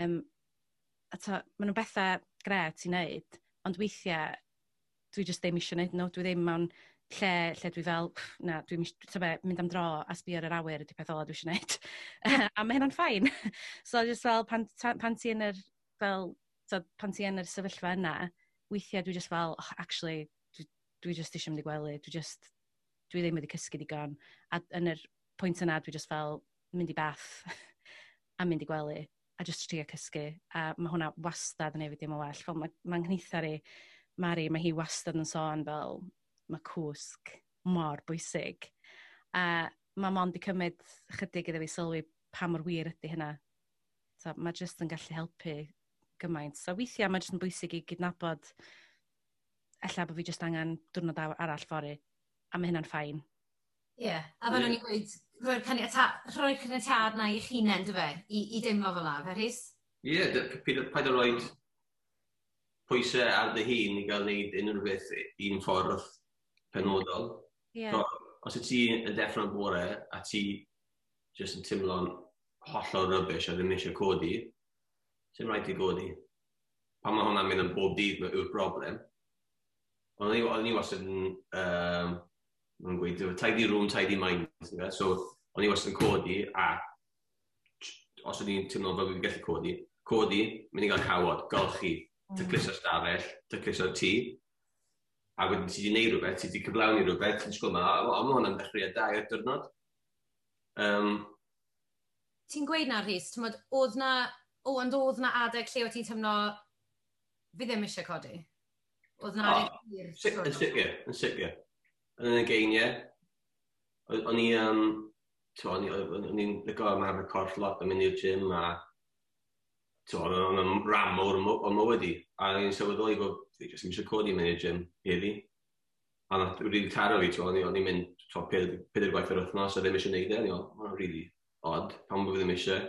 A ta, maen nhw'n bethau gret i wneud, ond weithiau dwi just ddim eisiau gwneud nhw. Dwi ddim mewn lle dwi fel, "Pff, na, dwi'n be, mynd am dro a sbio ar yr awyr ydy peth ola dwi eisiau gwneud." A mae hynna'n fine. So just fel pan ti yn yr, fel, so, pan ti yn yr sefyllfa yna, weithiau dwi just fel, "Oh, actually, dwi just eisiau mynd i gwely, dwi ddim wedi cysgu digon." A yn yr pwynt yna, dwi just fel mynd i bath a mynd i gwely a just trio cysgu. A mae hwnna wastad yn ei fi dim o well. Fel mae nghnithar i, Mari, mae hi wastad yn sôn fel mae cwsg mor bwysig. A mae mond i cymryd chydig iddo fi sylwi pa mor wir ydy hynna. So, mae jyst yn gallu helpu gymaint. So weithiau mae jyst yn bwysig i gydnabod ella bod fi jyst angen diwrnod arall fory. A mae hynna'n fine. Ie, yeah, a fel o'n i'n gweud, rhoi'r caniatâd na i'ch hunain, dy fe, i deimlo fel la, fe Rhys? Ie, paid o roed pwysau ar dy hun i gael wneud unrhyw beth un ffordd. penodol. So, os y ti yn deffro'n bore a ti jyst yn teimlo'n hollol rubbish a ddim eisiau codi, sy'n rhaid i godi. Pan mae hwnna'n mynd yn bob dydd yw'r broblem. Ond o'n i wastad yn, mae'n gweud, tidy room, tidy mind. So, o'n i wastad yn codi a os o'n i'n teimlo fel fi'n gallu codi, mynd i gael cawod, golchi, tacluso'r stafell, tacluso'r tŷ, a wedyn ti wedi gwneud rhywbeth, ti wedi cyflawni rhywbeth, ti'n sgwyl ma, a mae hwnna'n dechreuad da i'r diwrnod. Ti'n gweud na, Rhys, ti'n oedd na, ond oedd na adeg lle o ti'n teimlo, fi ddim eisiau codi? Oedd na adeg hir? Yn sicr, yn sicr. Yn y geiniau, o'n i, o'n i'n licio ymarfer corff lot yn mynd i'r gym a o'n i'n ran mawr o mywyd i. A o'n i'n sylweddoli bod fi jyst ddim eisiau codi mynd i'r gym heddi. A nath really taro fi, o'n i'n mynd 4 gwaith yr wythnos a ddim eisiau neud e. O'n i'n mae'n really odd, pam bod fi ddim eisiau.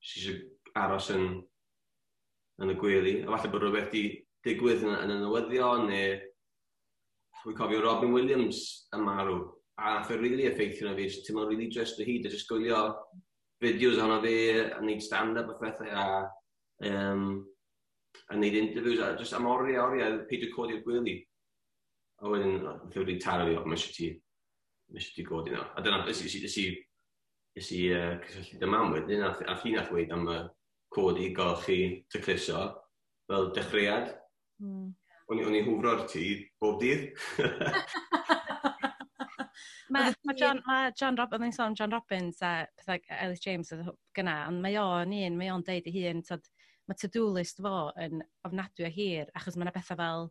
Jyst eisiau aros yn y gwely. A falle bod rhywbeth di digwydd yn y newyddion, neu dwi'n cofio Robin Williams yn marw. A nath e really effeithio na fi, jyst teimlo'n really drist o hyd, a jyst gwylio fideos ohono fi, a neud stand-up a phethau, a neud interviews, a jyst am oriau, oriau, peidio codi'r gwely. A wedyn, nath e wedi taro fi, o, mae eisiau ti godi nawr. A dyna, nes i cysylltu dy mam wedyn, a hi nath weud am y codi, golchi, tacluso, fel dechreuad. O'n i'n hwfro'r tŷ bob dydd. Mae John Rob, o'n i'n sôn John Robbins a pethau Ellis James oedd gyna, ond mae o'n un, mae o'n deud ei hun, tod, mae to-do list fo yn ofnadwy o hir, achos mae yna bethau fel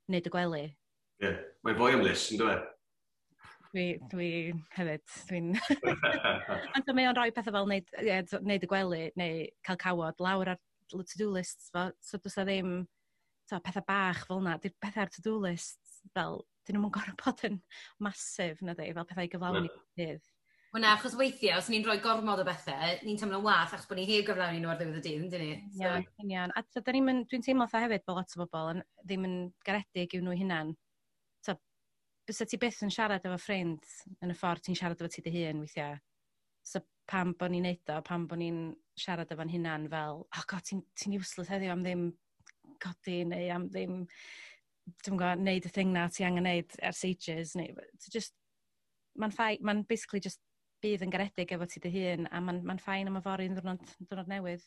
wneud y gwely. Ie, yeah, mae'n fwy am list, yn dweud? Dwi hefyd, dwi'n... Ond mae o'n rhoi pethau fel wneud y gwely, neu cael cawod lawr ar to-do lists fo, so does ddim pethau bach fel yna, di'r pethau ar to-do lists fel, dyn nhw'n gorfod bod yn masif, na di, fel pethau i gyflawni dydd. Wel na, achos weithiau, os ni'n rhoi gormod o bethau, ni'n teimlo'n wath achos bod ni heb gyflawni nhw ar ddiwedd y dydd, yndyn ni? So... Ie, union. A dwi'n teimlo fatha hefyd bod lot o bobl yn, ddim yn garedig i'w nhw hunan. So, bysa ti byth yn siarad efo ffrind yn y ffordd ti'n siarad efo ti dy hun weithiau. So pam bod ni'n neud o, pam bod ni'n siarad efo'n hunan fel, oh god, ti'n useless heddiw am ddim codi neu am ddim, dwi'n gwybod, neud y thing na ti angen neud ers ages. Neu, so just, mae'n fine, mae'n basically just bydd yn garedig efo ti dy hun, a mae'n fine am yfory yn ddwrnod newydd.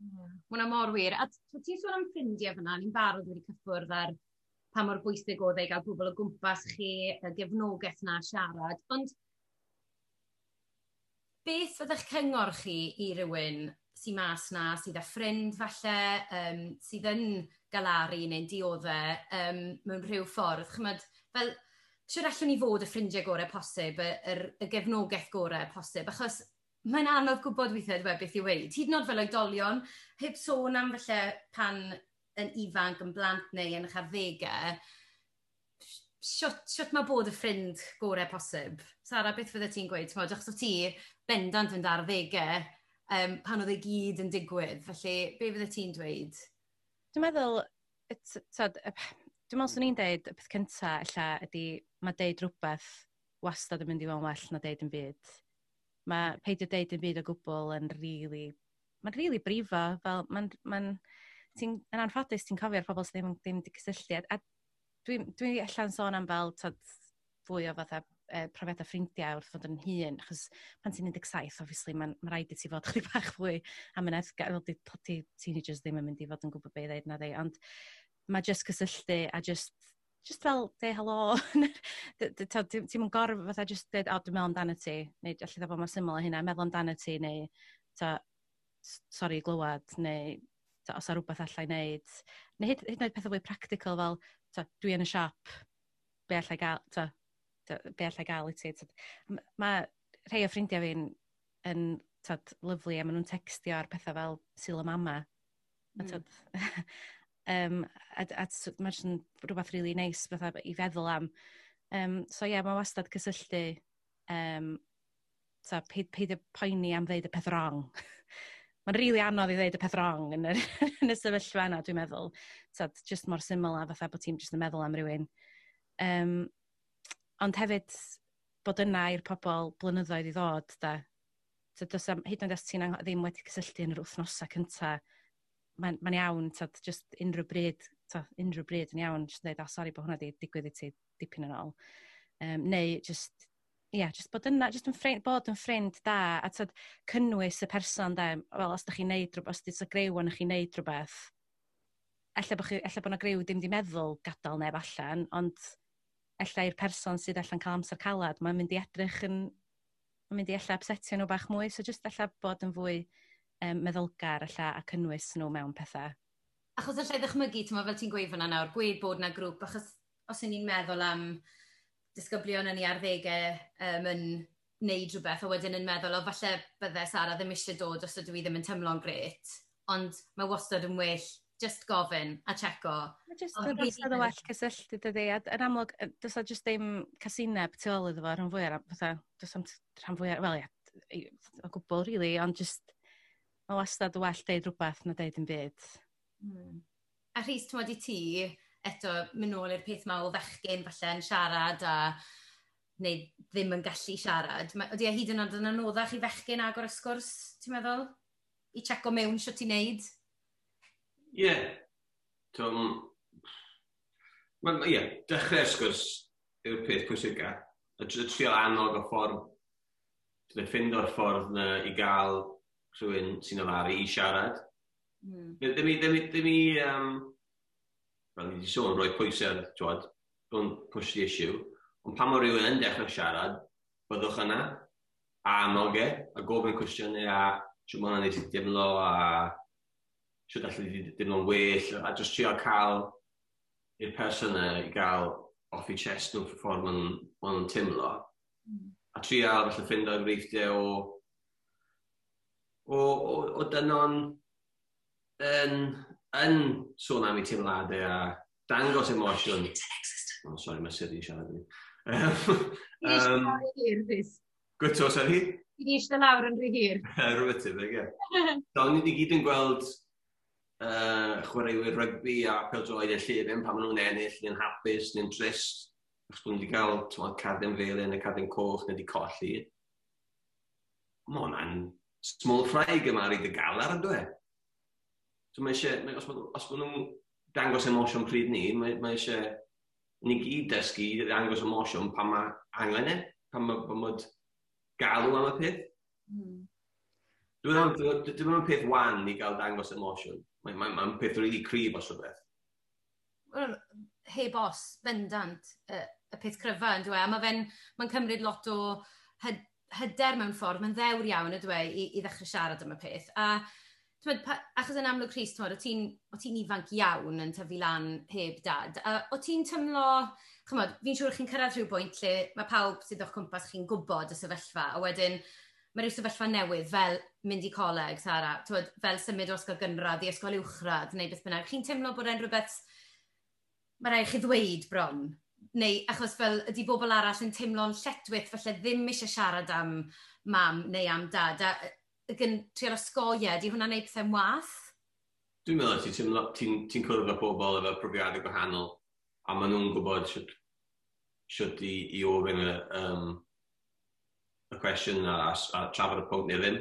Yeah. Hwna mor wir. A ti'n sôn am ffrindiau fyna, ni'n barod wedi cyffwrdd ar pa mor bwysig oedd e i gael pobl o gwmpas chi, y gefnogaeth na siarad. Ond beth fydda'ch cyngor chi i rywun sy'n mas na, sydd â ffrind falle, sydd yn galaru neu'n dioddau mewn rhyw ffordd? Chymod, fel, siwr allwn ni fod y ffrindiau gorau posib, y gefnogaeth gorau posib, achos mae'n anodd gwybod weithiau dwi beth i weud. Hyd yn oed fel oedolion, heb sôn am falle pan yn ifanc, yn blant neu yn eich arddegau, siwt mae bod y ffrind gorau posib? Sara, beth fydde ti'n gweud? T'mod, achos o ti bendant yn arddegau pan oedd e gyd yn digwydd, felly be fydde ti'n dweud? Dwi'n meddwl, dwi'n meddwl swn i'n deud y peth cynta ella ydy mae deud rhywbeth wastad yn mynd i fod yn well na deud yn byd. Mae peidio deud yn byd o gwbl yn really, mae'n really brifo, fel mae'n ti'n, yn anffodus ti'n cofio'r pobl sydd ddim wedi cysylltu. A dwi allan sôn am fel tod, fwy o fatha profiadau ffrindiau wrth fod yn hŷn, achos pan ti'n 17, obviously, mae'n ma rhaid i ti fod chydig bach fwy amyneddgar, fel di teenagers ddim yn mynd i fod yn gwybod beth i ddeud na ddi, ond mae just cysylltu a just fel, deud helo, ti'n mynd gorfod fatha just deud, o, dwi'n meddwl amdano ti, neu allai fod mor syml â hynna, meddwl amdano ti, neu ta, sori glywed, neu ta, os a rhywbeth allai wneud. Neu hyd yn oed pethau fwy practical fel, ta, dwi yn y siop, be allai gael, ta, be allai gael i ti. Mae rhai o ffrindiau fi'n yn tad, lyfli a maen nhw'n textio ar pethau fel Sul y Mama. A, tad, a mae'n jyst yn rhywbeth really nice fatha i feddwl am. So ie, yeah, mae wastad cysylltu. So, peidio poeni am ddeud y peth wrong. Mae'n rili really anodd i ddeud y peth wrong yn y, yn y sefyllfa yna, dwi'n meddwl. So, just mor syml a fatha bod ti'n just yn meddwl am rhywun. Ond hefyd, bod yna i'r pobl blynyddoedd i ddod, da. So, does am, hyd yn oed os ti'n ddim wedi cysylltu yn yr wythnosau cynta, mae'n iawn, tyd, just unrhyw bryd, tyd, unrhyw bryd yn iawn, just dweud, "Oh, sori bod hwnna wedi digwydd i ti dipyn yn ôl." Neu just, yeah, just bod yna, just yn ffrind, bod yn ffrind da, a tyd, cynnwys y person da, wel, os da chi'n neud rhywbeth, os di'n griw ond chi'n neud rhywbeth, ella bod 'na griw ddim di meddwl gadael neb allan, ond ella i'r person sydd allan cael amser calad, mae'n mynd i ella upsetio nhw bach mwy, so just ella bod yn fwy meddylgar ella a cynnwys nhw mewn pethau. Achos allai ddychmygu, ti'n fel ti'n gweud fyna nawr, gweud bod na grŵp, achos os y'n ni'n meddwl am disgyblion yn ei arddegau yn neud rhywbeth, a wedyn yn meddwl, "O, falle bydde Sara ddim eisiau dod os ydw i ddim yn teimlo'n gret," ond mae wastad yn well just gofyn a checo. Mae just yn wastad yn well cysylltu, dydy. A yn amlwg, does just ddim casineb tu ôl iddo fo, rhan fwyaf, fatha, does am rhan fwyaf, wel ie, o gwbl, really, ond just, mae wastad yn well deud rhywbeth na deud yn byd. A Rhys, ti'n i ti, eto, mynd nôl i'r peth ma o fechgyn falle yn siarad a neu ddim yn gallu siarad. Ydy e hyd yn oed yn anoddach i fechgyn agor y sgwrs, ti'n meddwl? I checo mewn sut ti'n neud? Ie. Yeah. Ie, yeah, dechrau'r sgwrs yw'r peth pwysica. Y trio annog y ffordd, ffindo'r ffordd na i gael rhywun sy'n yfaru i siarad. Ddim i, fel ni wedi sôn, rhoi pwysau, twod, don't push the issue. Ond pan mae rhywun yn dechrau siarad, byddwch yna, a annog e, a gofyn cwestiynau, a siwt mae hwnna'n neud i dimlo, a siwt allu di dimlo'n well, a just trio cael i'r person yna i gael off i chest nhw ffordd ma nhw'n timlo. A trio falle ffindo enghreifftiau o dynon yn sôn am eu teimladau a dangos emosiwn. Oh, sorry, mae Siri yn siarad i fi. Hir, Rhys. Gwyto, sorry? Fi di eistedd lawr yn rhy hir. Rhywbeth tebyg, ie. So, ni wedi gyd yn gweld chwaraewyr rygbi a pêl-droed yn llefen pan maen nhw'n ennill, neu'n hapus, neu'n drist, achos bod nhw wedi cael, t'mod, cardyn felyn neu cardyn coch neu wedi colli. Mae hwnna'n small fry gymharu dy galar, ynddo e? So mae eisiau, os maen nhw'n dangos emosiwn pryd ni, mae eisiau ni gyd dysgu i ddangos emosiwn pan mae angen e, pan mae galw am y peth. Dwi'n meddwl, dwi'n meddwl peth wan i gael dangos emosiwn. Mae'n mae peth really cryf os rhywbeth. Wel, heb os, bendant, y peth cryfa yn dweud. A mae fe'n mae'n cymryd lot o hyder mewn ffordd, mae'n ddewr iawn y dweud i ddechrau siarad am y peth. A t'mod, achos yn amlwg, Rhys, t'mod, o ti'n ifanc iawn yn tyfu lan heb dad. A o ti'n tymlo, ch'mod, fi'n siŵr chi'n cyrraedd rhyw bwynt lle mae pawb sydd o'ch cwmpas chi'n gwybod y sefyllfa, a wedyn mae rhyw sefyllfa newydd fel mynd i coleg, Sara, t'mod, fel symud o ysgol gynradd i ysgol uwchradd neu beth bynnag. Chi'n teimlo bod e'n rhywbeth mae rhaid chi ddweud bron? Neu achos fel ydy bobl arall yn teimlo'n lletwyth, falle ddim eisiau siarad am mam neu am dad, a yn trial osgoi e, di hwnna'n neud pethau'n wath? Dwi'n meddwl ti'n teimlo, ti cwrdd â pobl efo profiadau gwahanol, a maen nhw'n gwybod siwt i ofyn y cwestiwn a trafod y pwnc neu ddim.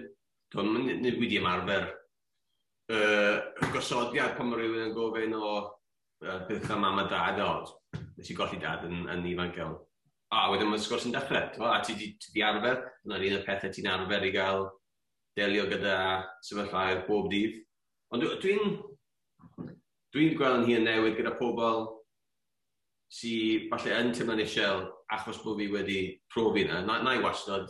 Dwi'n ni wedi ymarfer gosodiad pan mae rhywun yn gofyn o beth am mam a dad, o, nes i golli dad yn ifanc iawn. A wedyn mae'r sgwrs yn dechrau, t'mo', a ti di arfer, dyna'r un o'r pethau ti'n arfer i gael delio gyda sefyllfaoedd bob dydd. Ond dwi'n gweld yn hun newid gyda pobl sy falle yn teimlo'n isel achos bod fi wedi profi yna. Na i wastad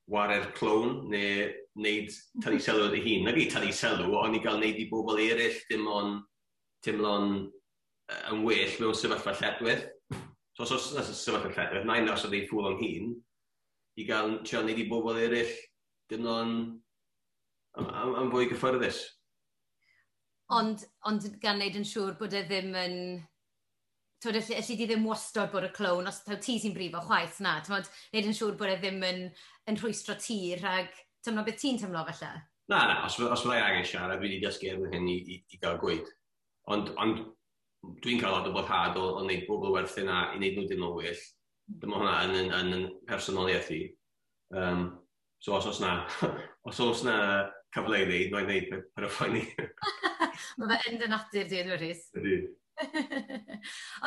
ware'r clown neu wneud tynnu sylw at ei hun. Nag i tynnu sylw, ond i gael wneud i bobl eraill dim ond teimlo'n yn well mewn sefyllfa lletwyth. So os oes yna sefyllfa lletwyth, na i nas oedd ei ffwl o'n hun i gael trio wneud i bobl eraill deimlo'n am fwy gyffyrddus. Ond gan wneud yn siŵr bod e ddim yn... Twyd, allu di ddim wastad bod y clown, os taw ti sy'n brifo chwaith, na. T'mod, wneud yn siŵr bod e ddim yn rhwystro ti rhag teimlo beth ti'n teimlo falle. Na, os fyddai angen siarad, dwi wedi dysgu erbyn hyn i gael gweud. Ond dwi'n cael lot o boddhad o wneud bobl werthu na i wneud nhw dim o well. Dyma hwnna yn personoliaeth i. So os oes na cyfle i wneud, mae'n wneud per y phoeni. Mae fe yn dy natur di, ydw, Rhys? Ydy.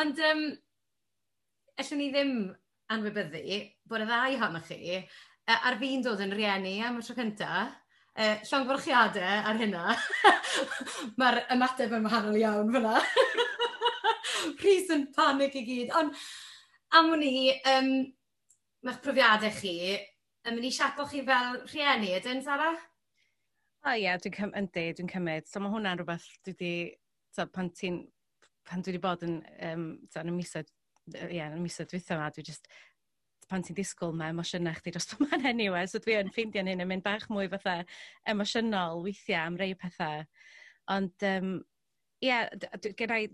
Ond allwn ni ddim anwybyddu bod y ddau ohonoch chi ar fin dod yn rieni am y tro cyntaf. Llongyfarchiadau ar hynna. Mae'r ymateb yn wahanol iawn fyna. Rhys yn panic i gyd. Ond am wn i, mae'ch profiadau chi yn mynd i siapo chi fel rhieni, ydyn, Sara? O ie, yndi, dwi'n cymryd. So mae hwnna'n rhywbeth dwi wedi, so, pan dwi wedi bod so, yn y misoedd, ie, yn y misoedd dwytha yma, dwi just, pan ti'n disgwyl, mae emosiynau chdi dros yma'n anyway, so dwi yn ffeindio'n hyn yn mynd bach mwy fatha emosiynol weithiau am rei pethau. Ond, ie, yeah,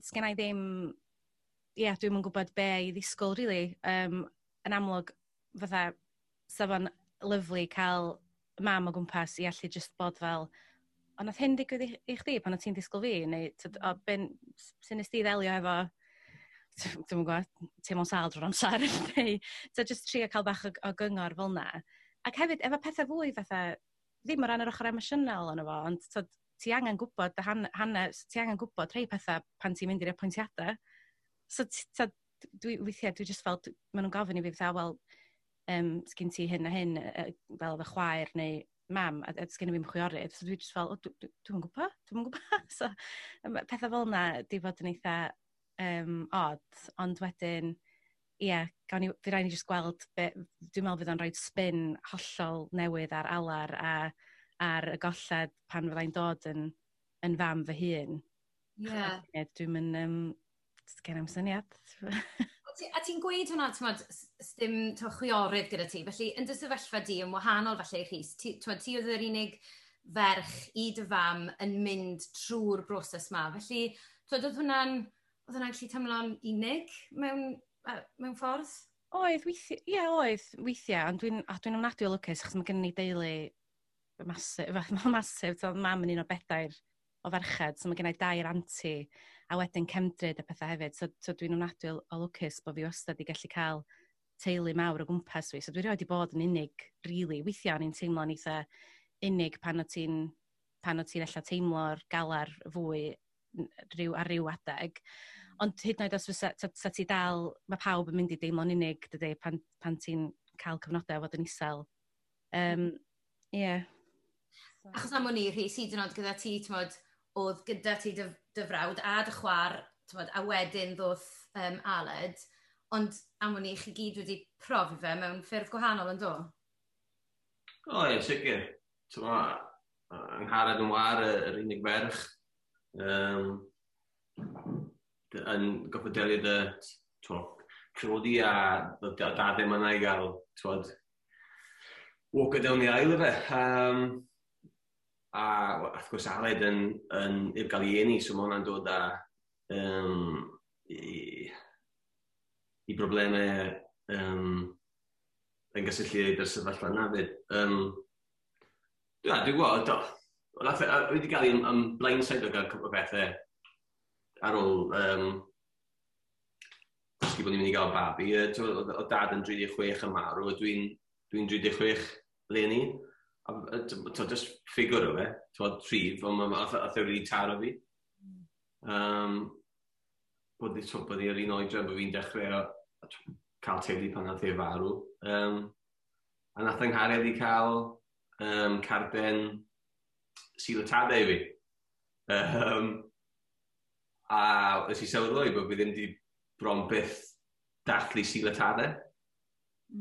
sgen i ddim, ie, yeah, dwi'm yn gwybod be i ddisgwyl, really. Yn amlwg, fatha, sa fo'n lyfli cael mam o gwmpas i allu just bod fel, "O, nath hyn digwydd i chdi pan o ti'n disgwyl fi?" Neu, tyd, "O, ben, sut nes di ddelio efo," dwi'm yn gwybod, teimlo'n sâl drwy'r amser, neu so just trio cael bach o gyngor fel 'na. Ac hefyd, efo pethau fwy fatha, ddim o ran yr ochr emosiynol ono fo, ond tyd, ti angen gwybod dy hanes, ti angen gwybod rhai pethau pan ti'n mynd i'r apwyntiadau. So, tyd, weithiau, dwi just fel, maen nhw'n gofyn i fi fatha, "Wel, sgyn ti hyn a hyn, fel efo chwaer neu mam?" A sgyn i fi'm chwiorydd, so dwi just fel, "O, dwi'm yn gwybod, dwi'm yn gwybod." So, pethau fel yna di fod yn eitha odd, ond wedyn, ie, yeah, gawn ni, fydd rhaid ni just gweld, be, dwi'n meddwl fydd o'n rhoi spin hollol newydd ar alar a ar y golled pan fyddai'n dod yn fam fy hun. Dwi'n mynd, gen i'm syniad. A ti'n gweud hwnna, t'mod, dim chwiorydd gyda ti, felly yn dy sefyllfa di yn wahanol falle i Rhys, ti, t'mod, ti oedd yr unig ferch i dy fam yn mynd trwy'r broses ma, felly t'mod, oedd hwnna'n gallu teimlo'n unig mewn ffordd? Oedd, weithiau, ie, oedd, weithiau, ond dwi'n ofnadwy o lwcus, achos mae gen i deulu massive, massive, so mam yn un o bedair o ferched, so mae gen i dair anti, a wedyn cefndryd a pethau hefyd, so dwi'n ofnadwy o lwcus bod fi wastad i gallu cael teulu mawr o gwmpas fi, so dwi rioed wedi bod yn unig, really. Weithiau o'n i'n teimlo'n eitha unig pan o ti'n ella teimlo'r galar fwy ar ryw adeg. Ond hyd yn oed os fysa, sa ti dal, mae pawb yn mynd i deimlo'n unig, dydy, pan ti'n cael cyfnodau o fod yn isel. Yeah. Achos am wn i, Rhys, hyd yn oed gyda ti, t'mod, oedd gyda ti dy frawd a dy chwaer, t'mod, a wedyn ddoth Aled, ond am wn i, chi gyd wedi profi fe mewn ffyrdd gwahanol, yn do? O, ie, sicr. T'mo, Angharad yn war, yr unig ferch, yn goffod delio dy, t'mo, priodi a dad ddim yna i gael, t'mod, walk down the aisle efe. A wrth gwrs Aled yn i'w gael ei eni, so mae hwnna'n dod â i broblemau yn gysylltiedig â'r sefyllfa yna fyd. Dwi'n gwybod, do. Dwi wedi cael ei blindside o gael cwpl o bethau ar ôl dysgu bod ni'n mynd i gael babi. Oedd dad yn 36 yn marw, a dwi'n 36 leni. A to, just ffigur o fe, t'mod, rhif, ond ath e really taro fi. Bod i'r un oedran bod fi'n dechrau cael teulu pan nath e farw. A nath yng nghariad i cael carden Sul y Tadau i fi. A nes i sylweddoli bod fi ddim wedi bron byth dathlu Sul y Tadau.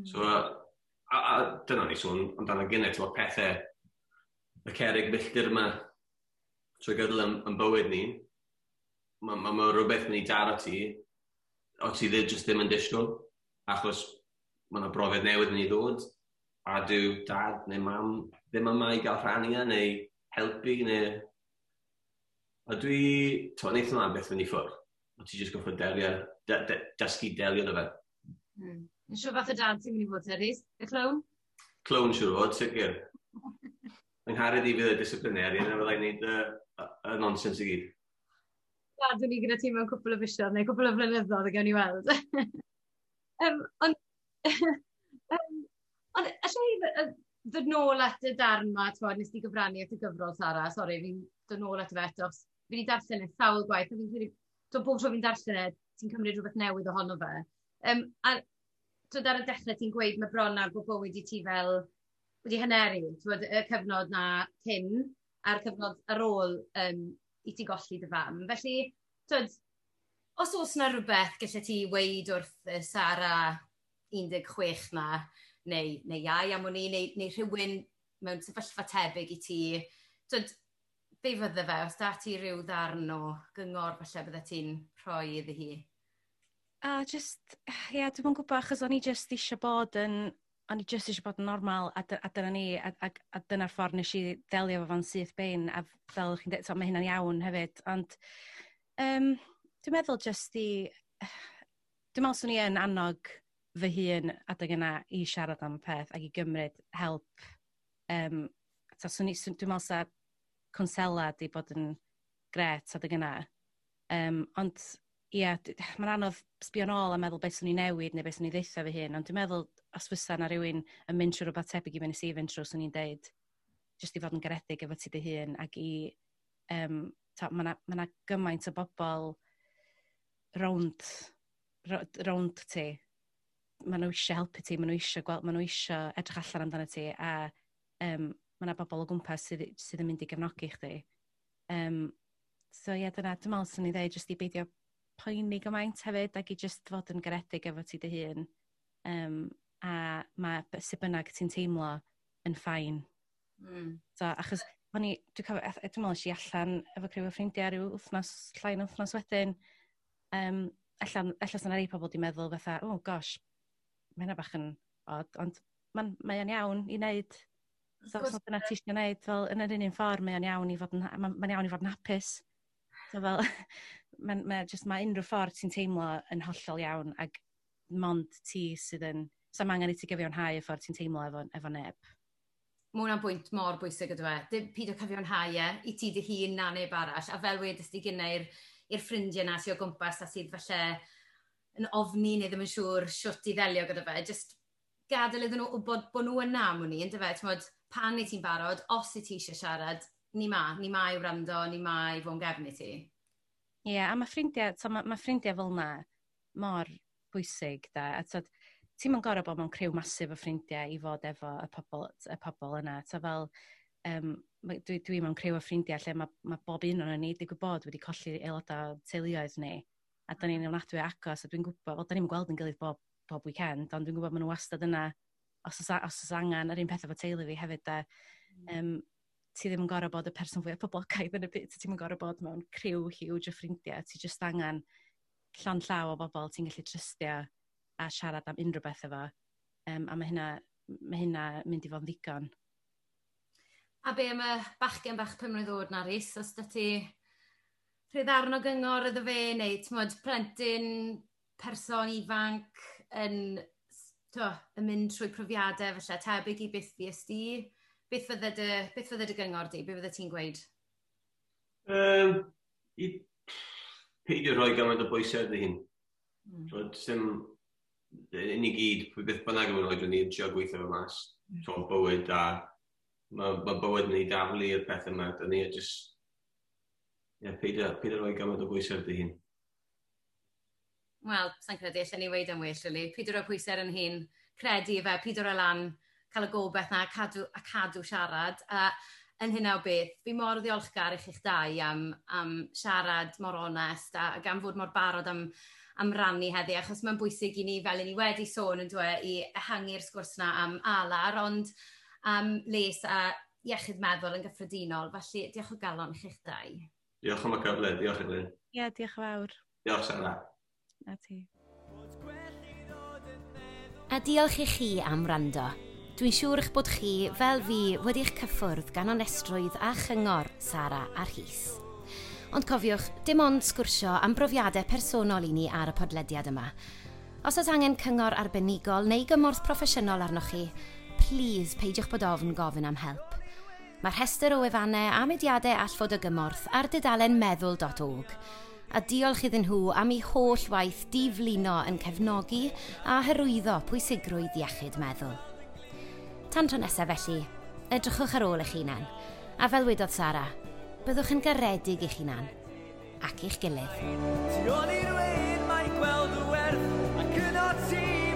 So, a dyna ni sôn amdano gynnau, ti'n pethau, y cerrig milltir yma trwy gydol yn bywyd ni, ma rhywbeth mynd i daro ti, o ti ddim, just ddim yn disgwyl, achos mae yna brofiad newydd yn ei ddod, a dyw dad neu mam ddim yma i gael rhannu e, neu helpu, neu. A dwi, ti'n wneud hwnna beth fynd i ffwrdd. O ti jyst goffod delio, dysgu delio dy fe. Yn siŵr fath o dad ti'n mynd i fod, Rhys? Y clown? Clown siŵr o fod, sicr. Yng nghariad i fydd y disciplinarian a fyddai'n neud y nonsens i gyd. Gadwn ni gyda ti mewn cwpl o fisoedd neu cwpl o flynyddoedd a gawn ni weld. Ond Ond allai ddod nôl at y darn 'ma, t'mod, nes di gyfrannu at y gyfrol, Sara, sori, fi'n dod nôl ato fe eto, achos fi wedi darllen e sawl gwaith, a fi'n credu, t'mod, bob tro fi'n darllen e, ti'n cymryd rhywbeth newydd ohono fe. A t'mod, ar y dechrau ti'n gweud mae bron ar bod bywyd i ti fel wedi haneru, t'mod, y cyfnod na cyn a'r cyfnod ar ôl i ti golli dy fam. Felly, t'mod, os oes 'na rhywbeth gallet ti weud wrth Sara 16 na, neu iau am wn i, neu rhywun mewn sefyllfa tebyg i ti, t'mod, be fydde fe, os da ti rhyw ddarn o gyngor falle bydde ti'n rhoi iddi hi? A just, ie, yeah, dwi'm yn gwybod, achos o'n i just eisiau bod yn, o'n i just eisiau bod yn normal, a dyna ni, a dyna'r ffordd nes i ddelio efo fo'n syth bin, a fel chi'n dweud, so, mae hynna'n iawn hefyd, ond dwi'n meddwl just i, dwi'n meddwl swn i yn annog fy hun adeg yna i siarad am y peth ac i gymryd help. Ta, swn i, dwi'n meddwl sa cwnsela di bod yn gret adeg yna. Ond ie, yeah, mae'n anodd sbio nôl a meddwl beth swn i newid neu beth swn i ddeutha fy hun, ond dwi'n meddwl os fysa na rhywun yn mynd trwy rhywbeth tebyg i be nes i fynd trwy, swn i'n deud jyst i fod yn garedig efo ti dy hun ac i, ta, mae 'na ma gymaint o bobl rownd ti. Maen nhw eisiau helpu ti, maen nhw eisiau gweld, maen nhw eisiau edrych allan amdano ti, a mae yna bobl o gwmpas sydd yn mynd i gefnogi chdi. So ie, yeah, dyna, dwi'n meddwl swn i ddeud jyst i beidio poeni gymaint hefyd ac i jyst fod yn garedig efo ti dy hun. A mae sut bynnag ti'n teimlo yn fine. So, achos o'n i, dwi'n cofio, dwi'n meddwl es i allan efo criw o ffrindiau rhyw wythnos, llai na wythnos wedyn. Ella sy'n rhai pobl di meddwl fatha, "Oh gosh, mae hynna bach yn odd," ond mae o'n iawn i wneud. So, os dyna ti eisiau gwneud, fel yn yr un un ffordd, mae o'n iawn i fod yn, ma iawn i fod yn hapus. So fel, just, mae unrhyw ffordd ti'n teimlo yn hollol iawn ac mond ti sydd yn, so mae angen i ti gyfiawnhau y ffordd ti'n teimlo efo neb. Mae hwnna'n bwynt mor bwysig ydw e. Dim pido cyfiawnhau e i ti dy hun na neb arall. A fel wedys di gynna i'r ffrindiau na sydd o gwmpas a sydd falle yn ofni neu ddim yn siŵr shwt i ddelio gyda fe. Just gadael iddyn nhw wybod bod nhw yna am wn i, yndyfe? T'mod, pan i ti'n barod, os i ti eisiau siarad, ni ma i wrando, ni ma i fod yn gefn i ti. Ie, yeah, a mae ffrindiau, so ma ffrindiau fel yna mor bwysig, da. A t'od, ti'm yn gorfod bod mewn criw masif o ffrindiau i fod efo y pobl yna. Ta fel, dwi mewn criw o ffrindiau lle mae bob un o'n ni digwydd bod wedi colli aelodau teuluoedd ni. A da ni'n ofnadwy o agos, a dwi'n gwybod, wel, da ni'n gweld yn gilydd bob weekend, ond dwi'n gwybod maen nhw wastad yna os oes angen, yr un peth efo teulu fi hefyd, da. Ti ddim yn gorfod bod y person fwyaf poblogaidd yn y byd, ti'n yn gorfod bod mewn criw huge o ffrindiau, ti jyst angen llond llaw o bobl ti'n gallu trystio a siarad am unrhyw beth efo. A mae hynna mynd i fod yn ddigon. A be am y bachgen bach 5 mlwydd oed na, Rhys? Os da ti rhyw ddarn o gyngor iddo fe, neu t'mod, plentyn, person ifanc yn, to, yn mynd trwy profiadau falle tebyg i beth fues di, beth fydde dy gyngor di? Be fydde ti'n gweud? I peidio rhoi gymaint o bwysau ar dy hun. So, dim, ni gyd, beth bynnag yw'n oed ni, yn trio gweithio fe mas. So, bywyd a mae bywyd yn ei daflu i'r peth yma. Dyn ni just, yeah, peidio rhoi gymaint o bwysau ar dy hun. Wel, sa'n credu allan ni weud yn well, really. Peidio rhoi pwysau ar yn hun, credu fe, peidio rhoi lan, cael y gobeith na, cadw, a cadw siarad. A yn hynna o beth, fi mor ddiolchgar i chi'ch dau am siarad mor onest a gan fod mor barod am rannu heddi, achos mae'n bwysig i ni, fel i ni wedi sôn yn dweud, i ehangu'r sgwrs na am alar, ond am les a iechyd meddwl yn gyffredinol. Felly, diolch o galon i chi'ch dau. Diolch am y cyfle, diolch Elin. Ie, yeah, diolch yn fawr. Diolch, Sara. A ti. A diolch i chi am wrando. Dwi'n siŵr eich bod chi, fel fi, wedi'ch cyffwrdd gan onestrwydd a chyngor Sara a Rhys. Ond cofiwch, dim ond sgwrsio am brofiadau personol i ni ar y podlediad yma. Os oes angen cyngor arbenigol neu gymorth proffesiynol arnoch chi, please peidiwch bod ofn gofyn am help. Mae'r rhestr o wefannau a mudiadau all fod o gymorth ar dudalen meddwl.org. A diolch iddyn nhw am eu holl waith diflino yn cefnogi a hyrwyddo pwysigrwydd iechyd meddwl. Tan tro nesaf felly, edrychwch ar ôl eich hunan, a fel wedodd Sara, byddwch yn garedig eich hunan ac eich gilydd. Tu ôl i'r wên mae gweld y werth, ac yno ti.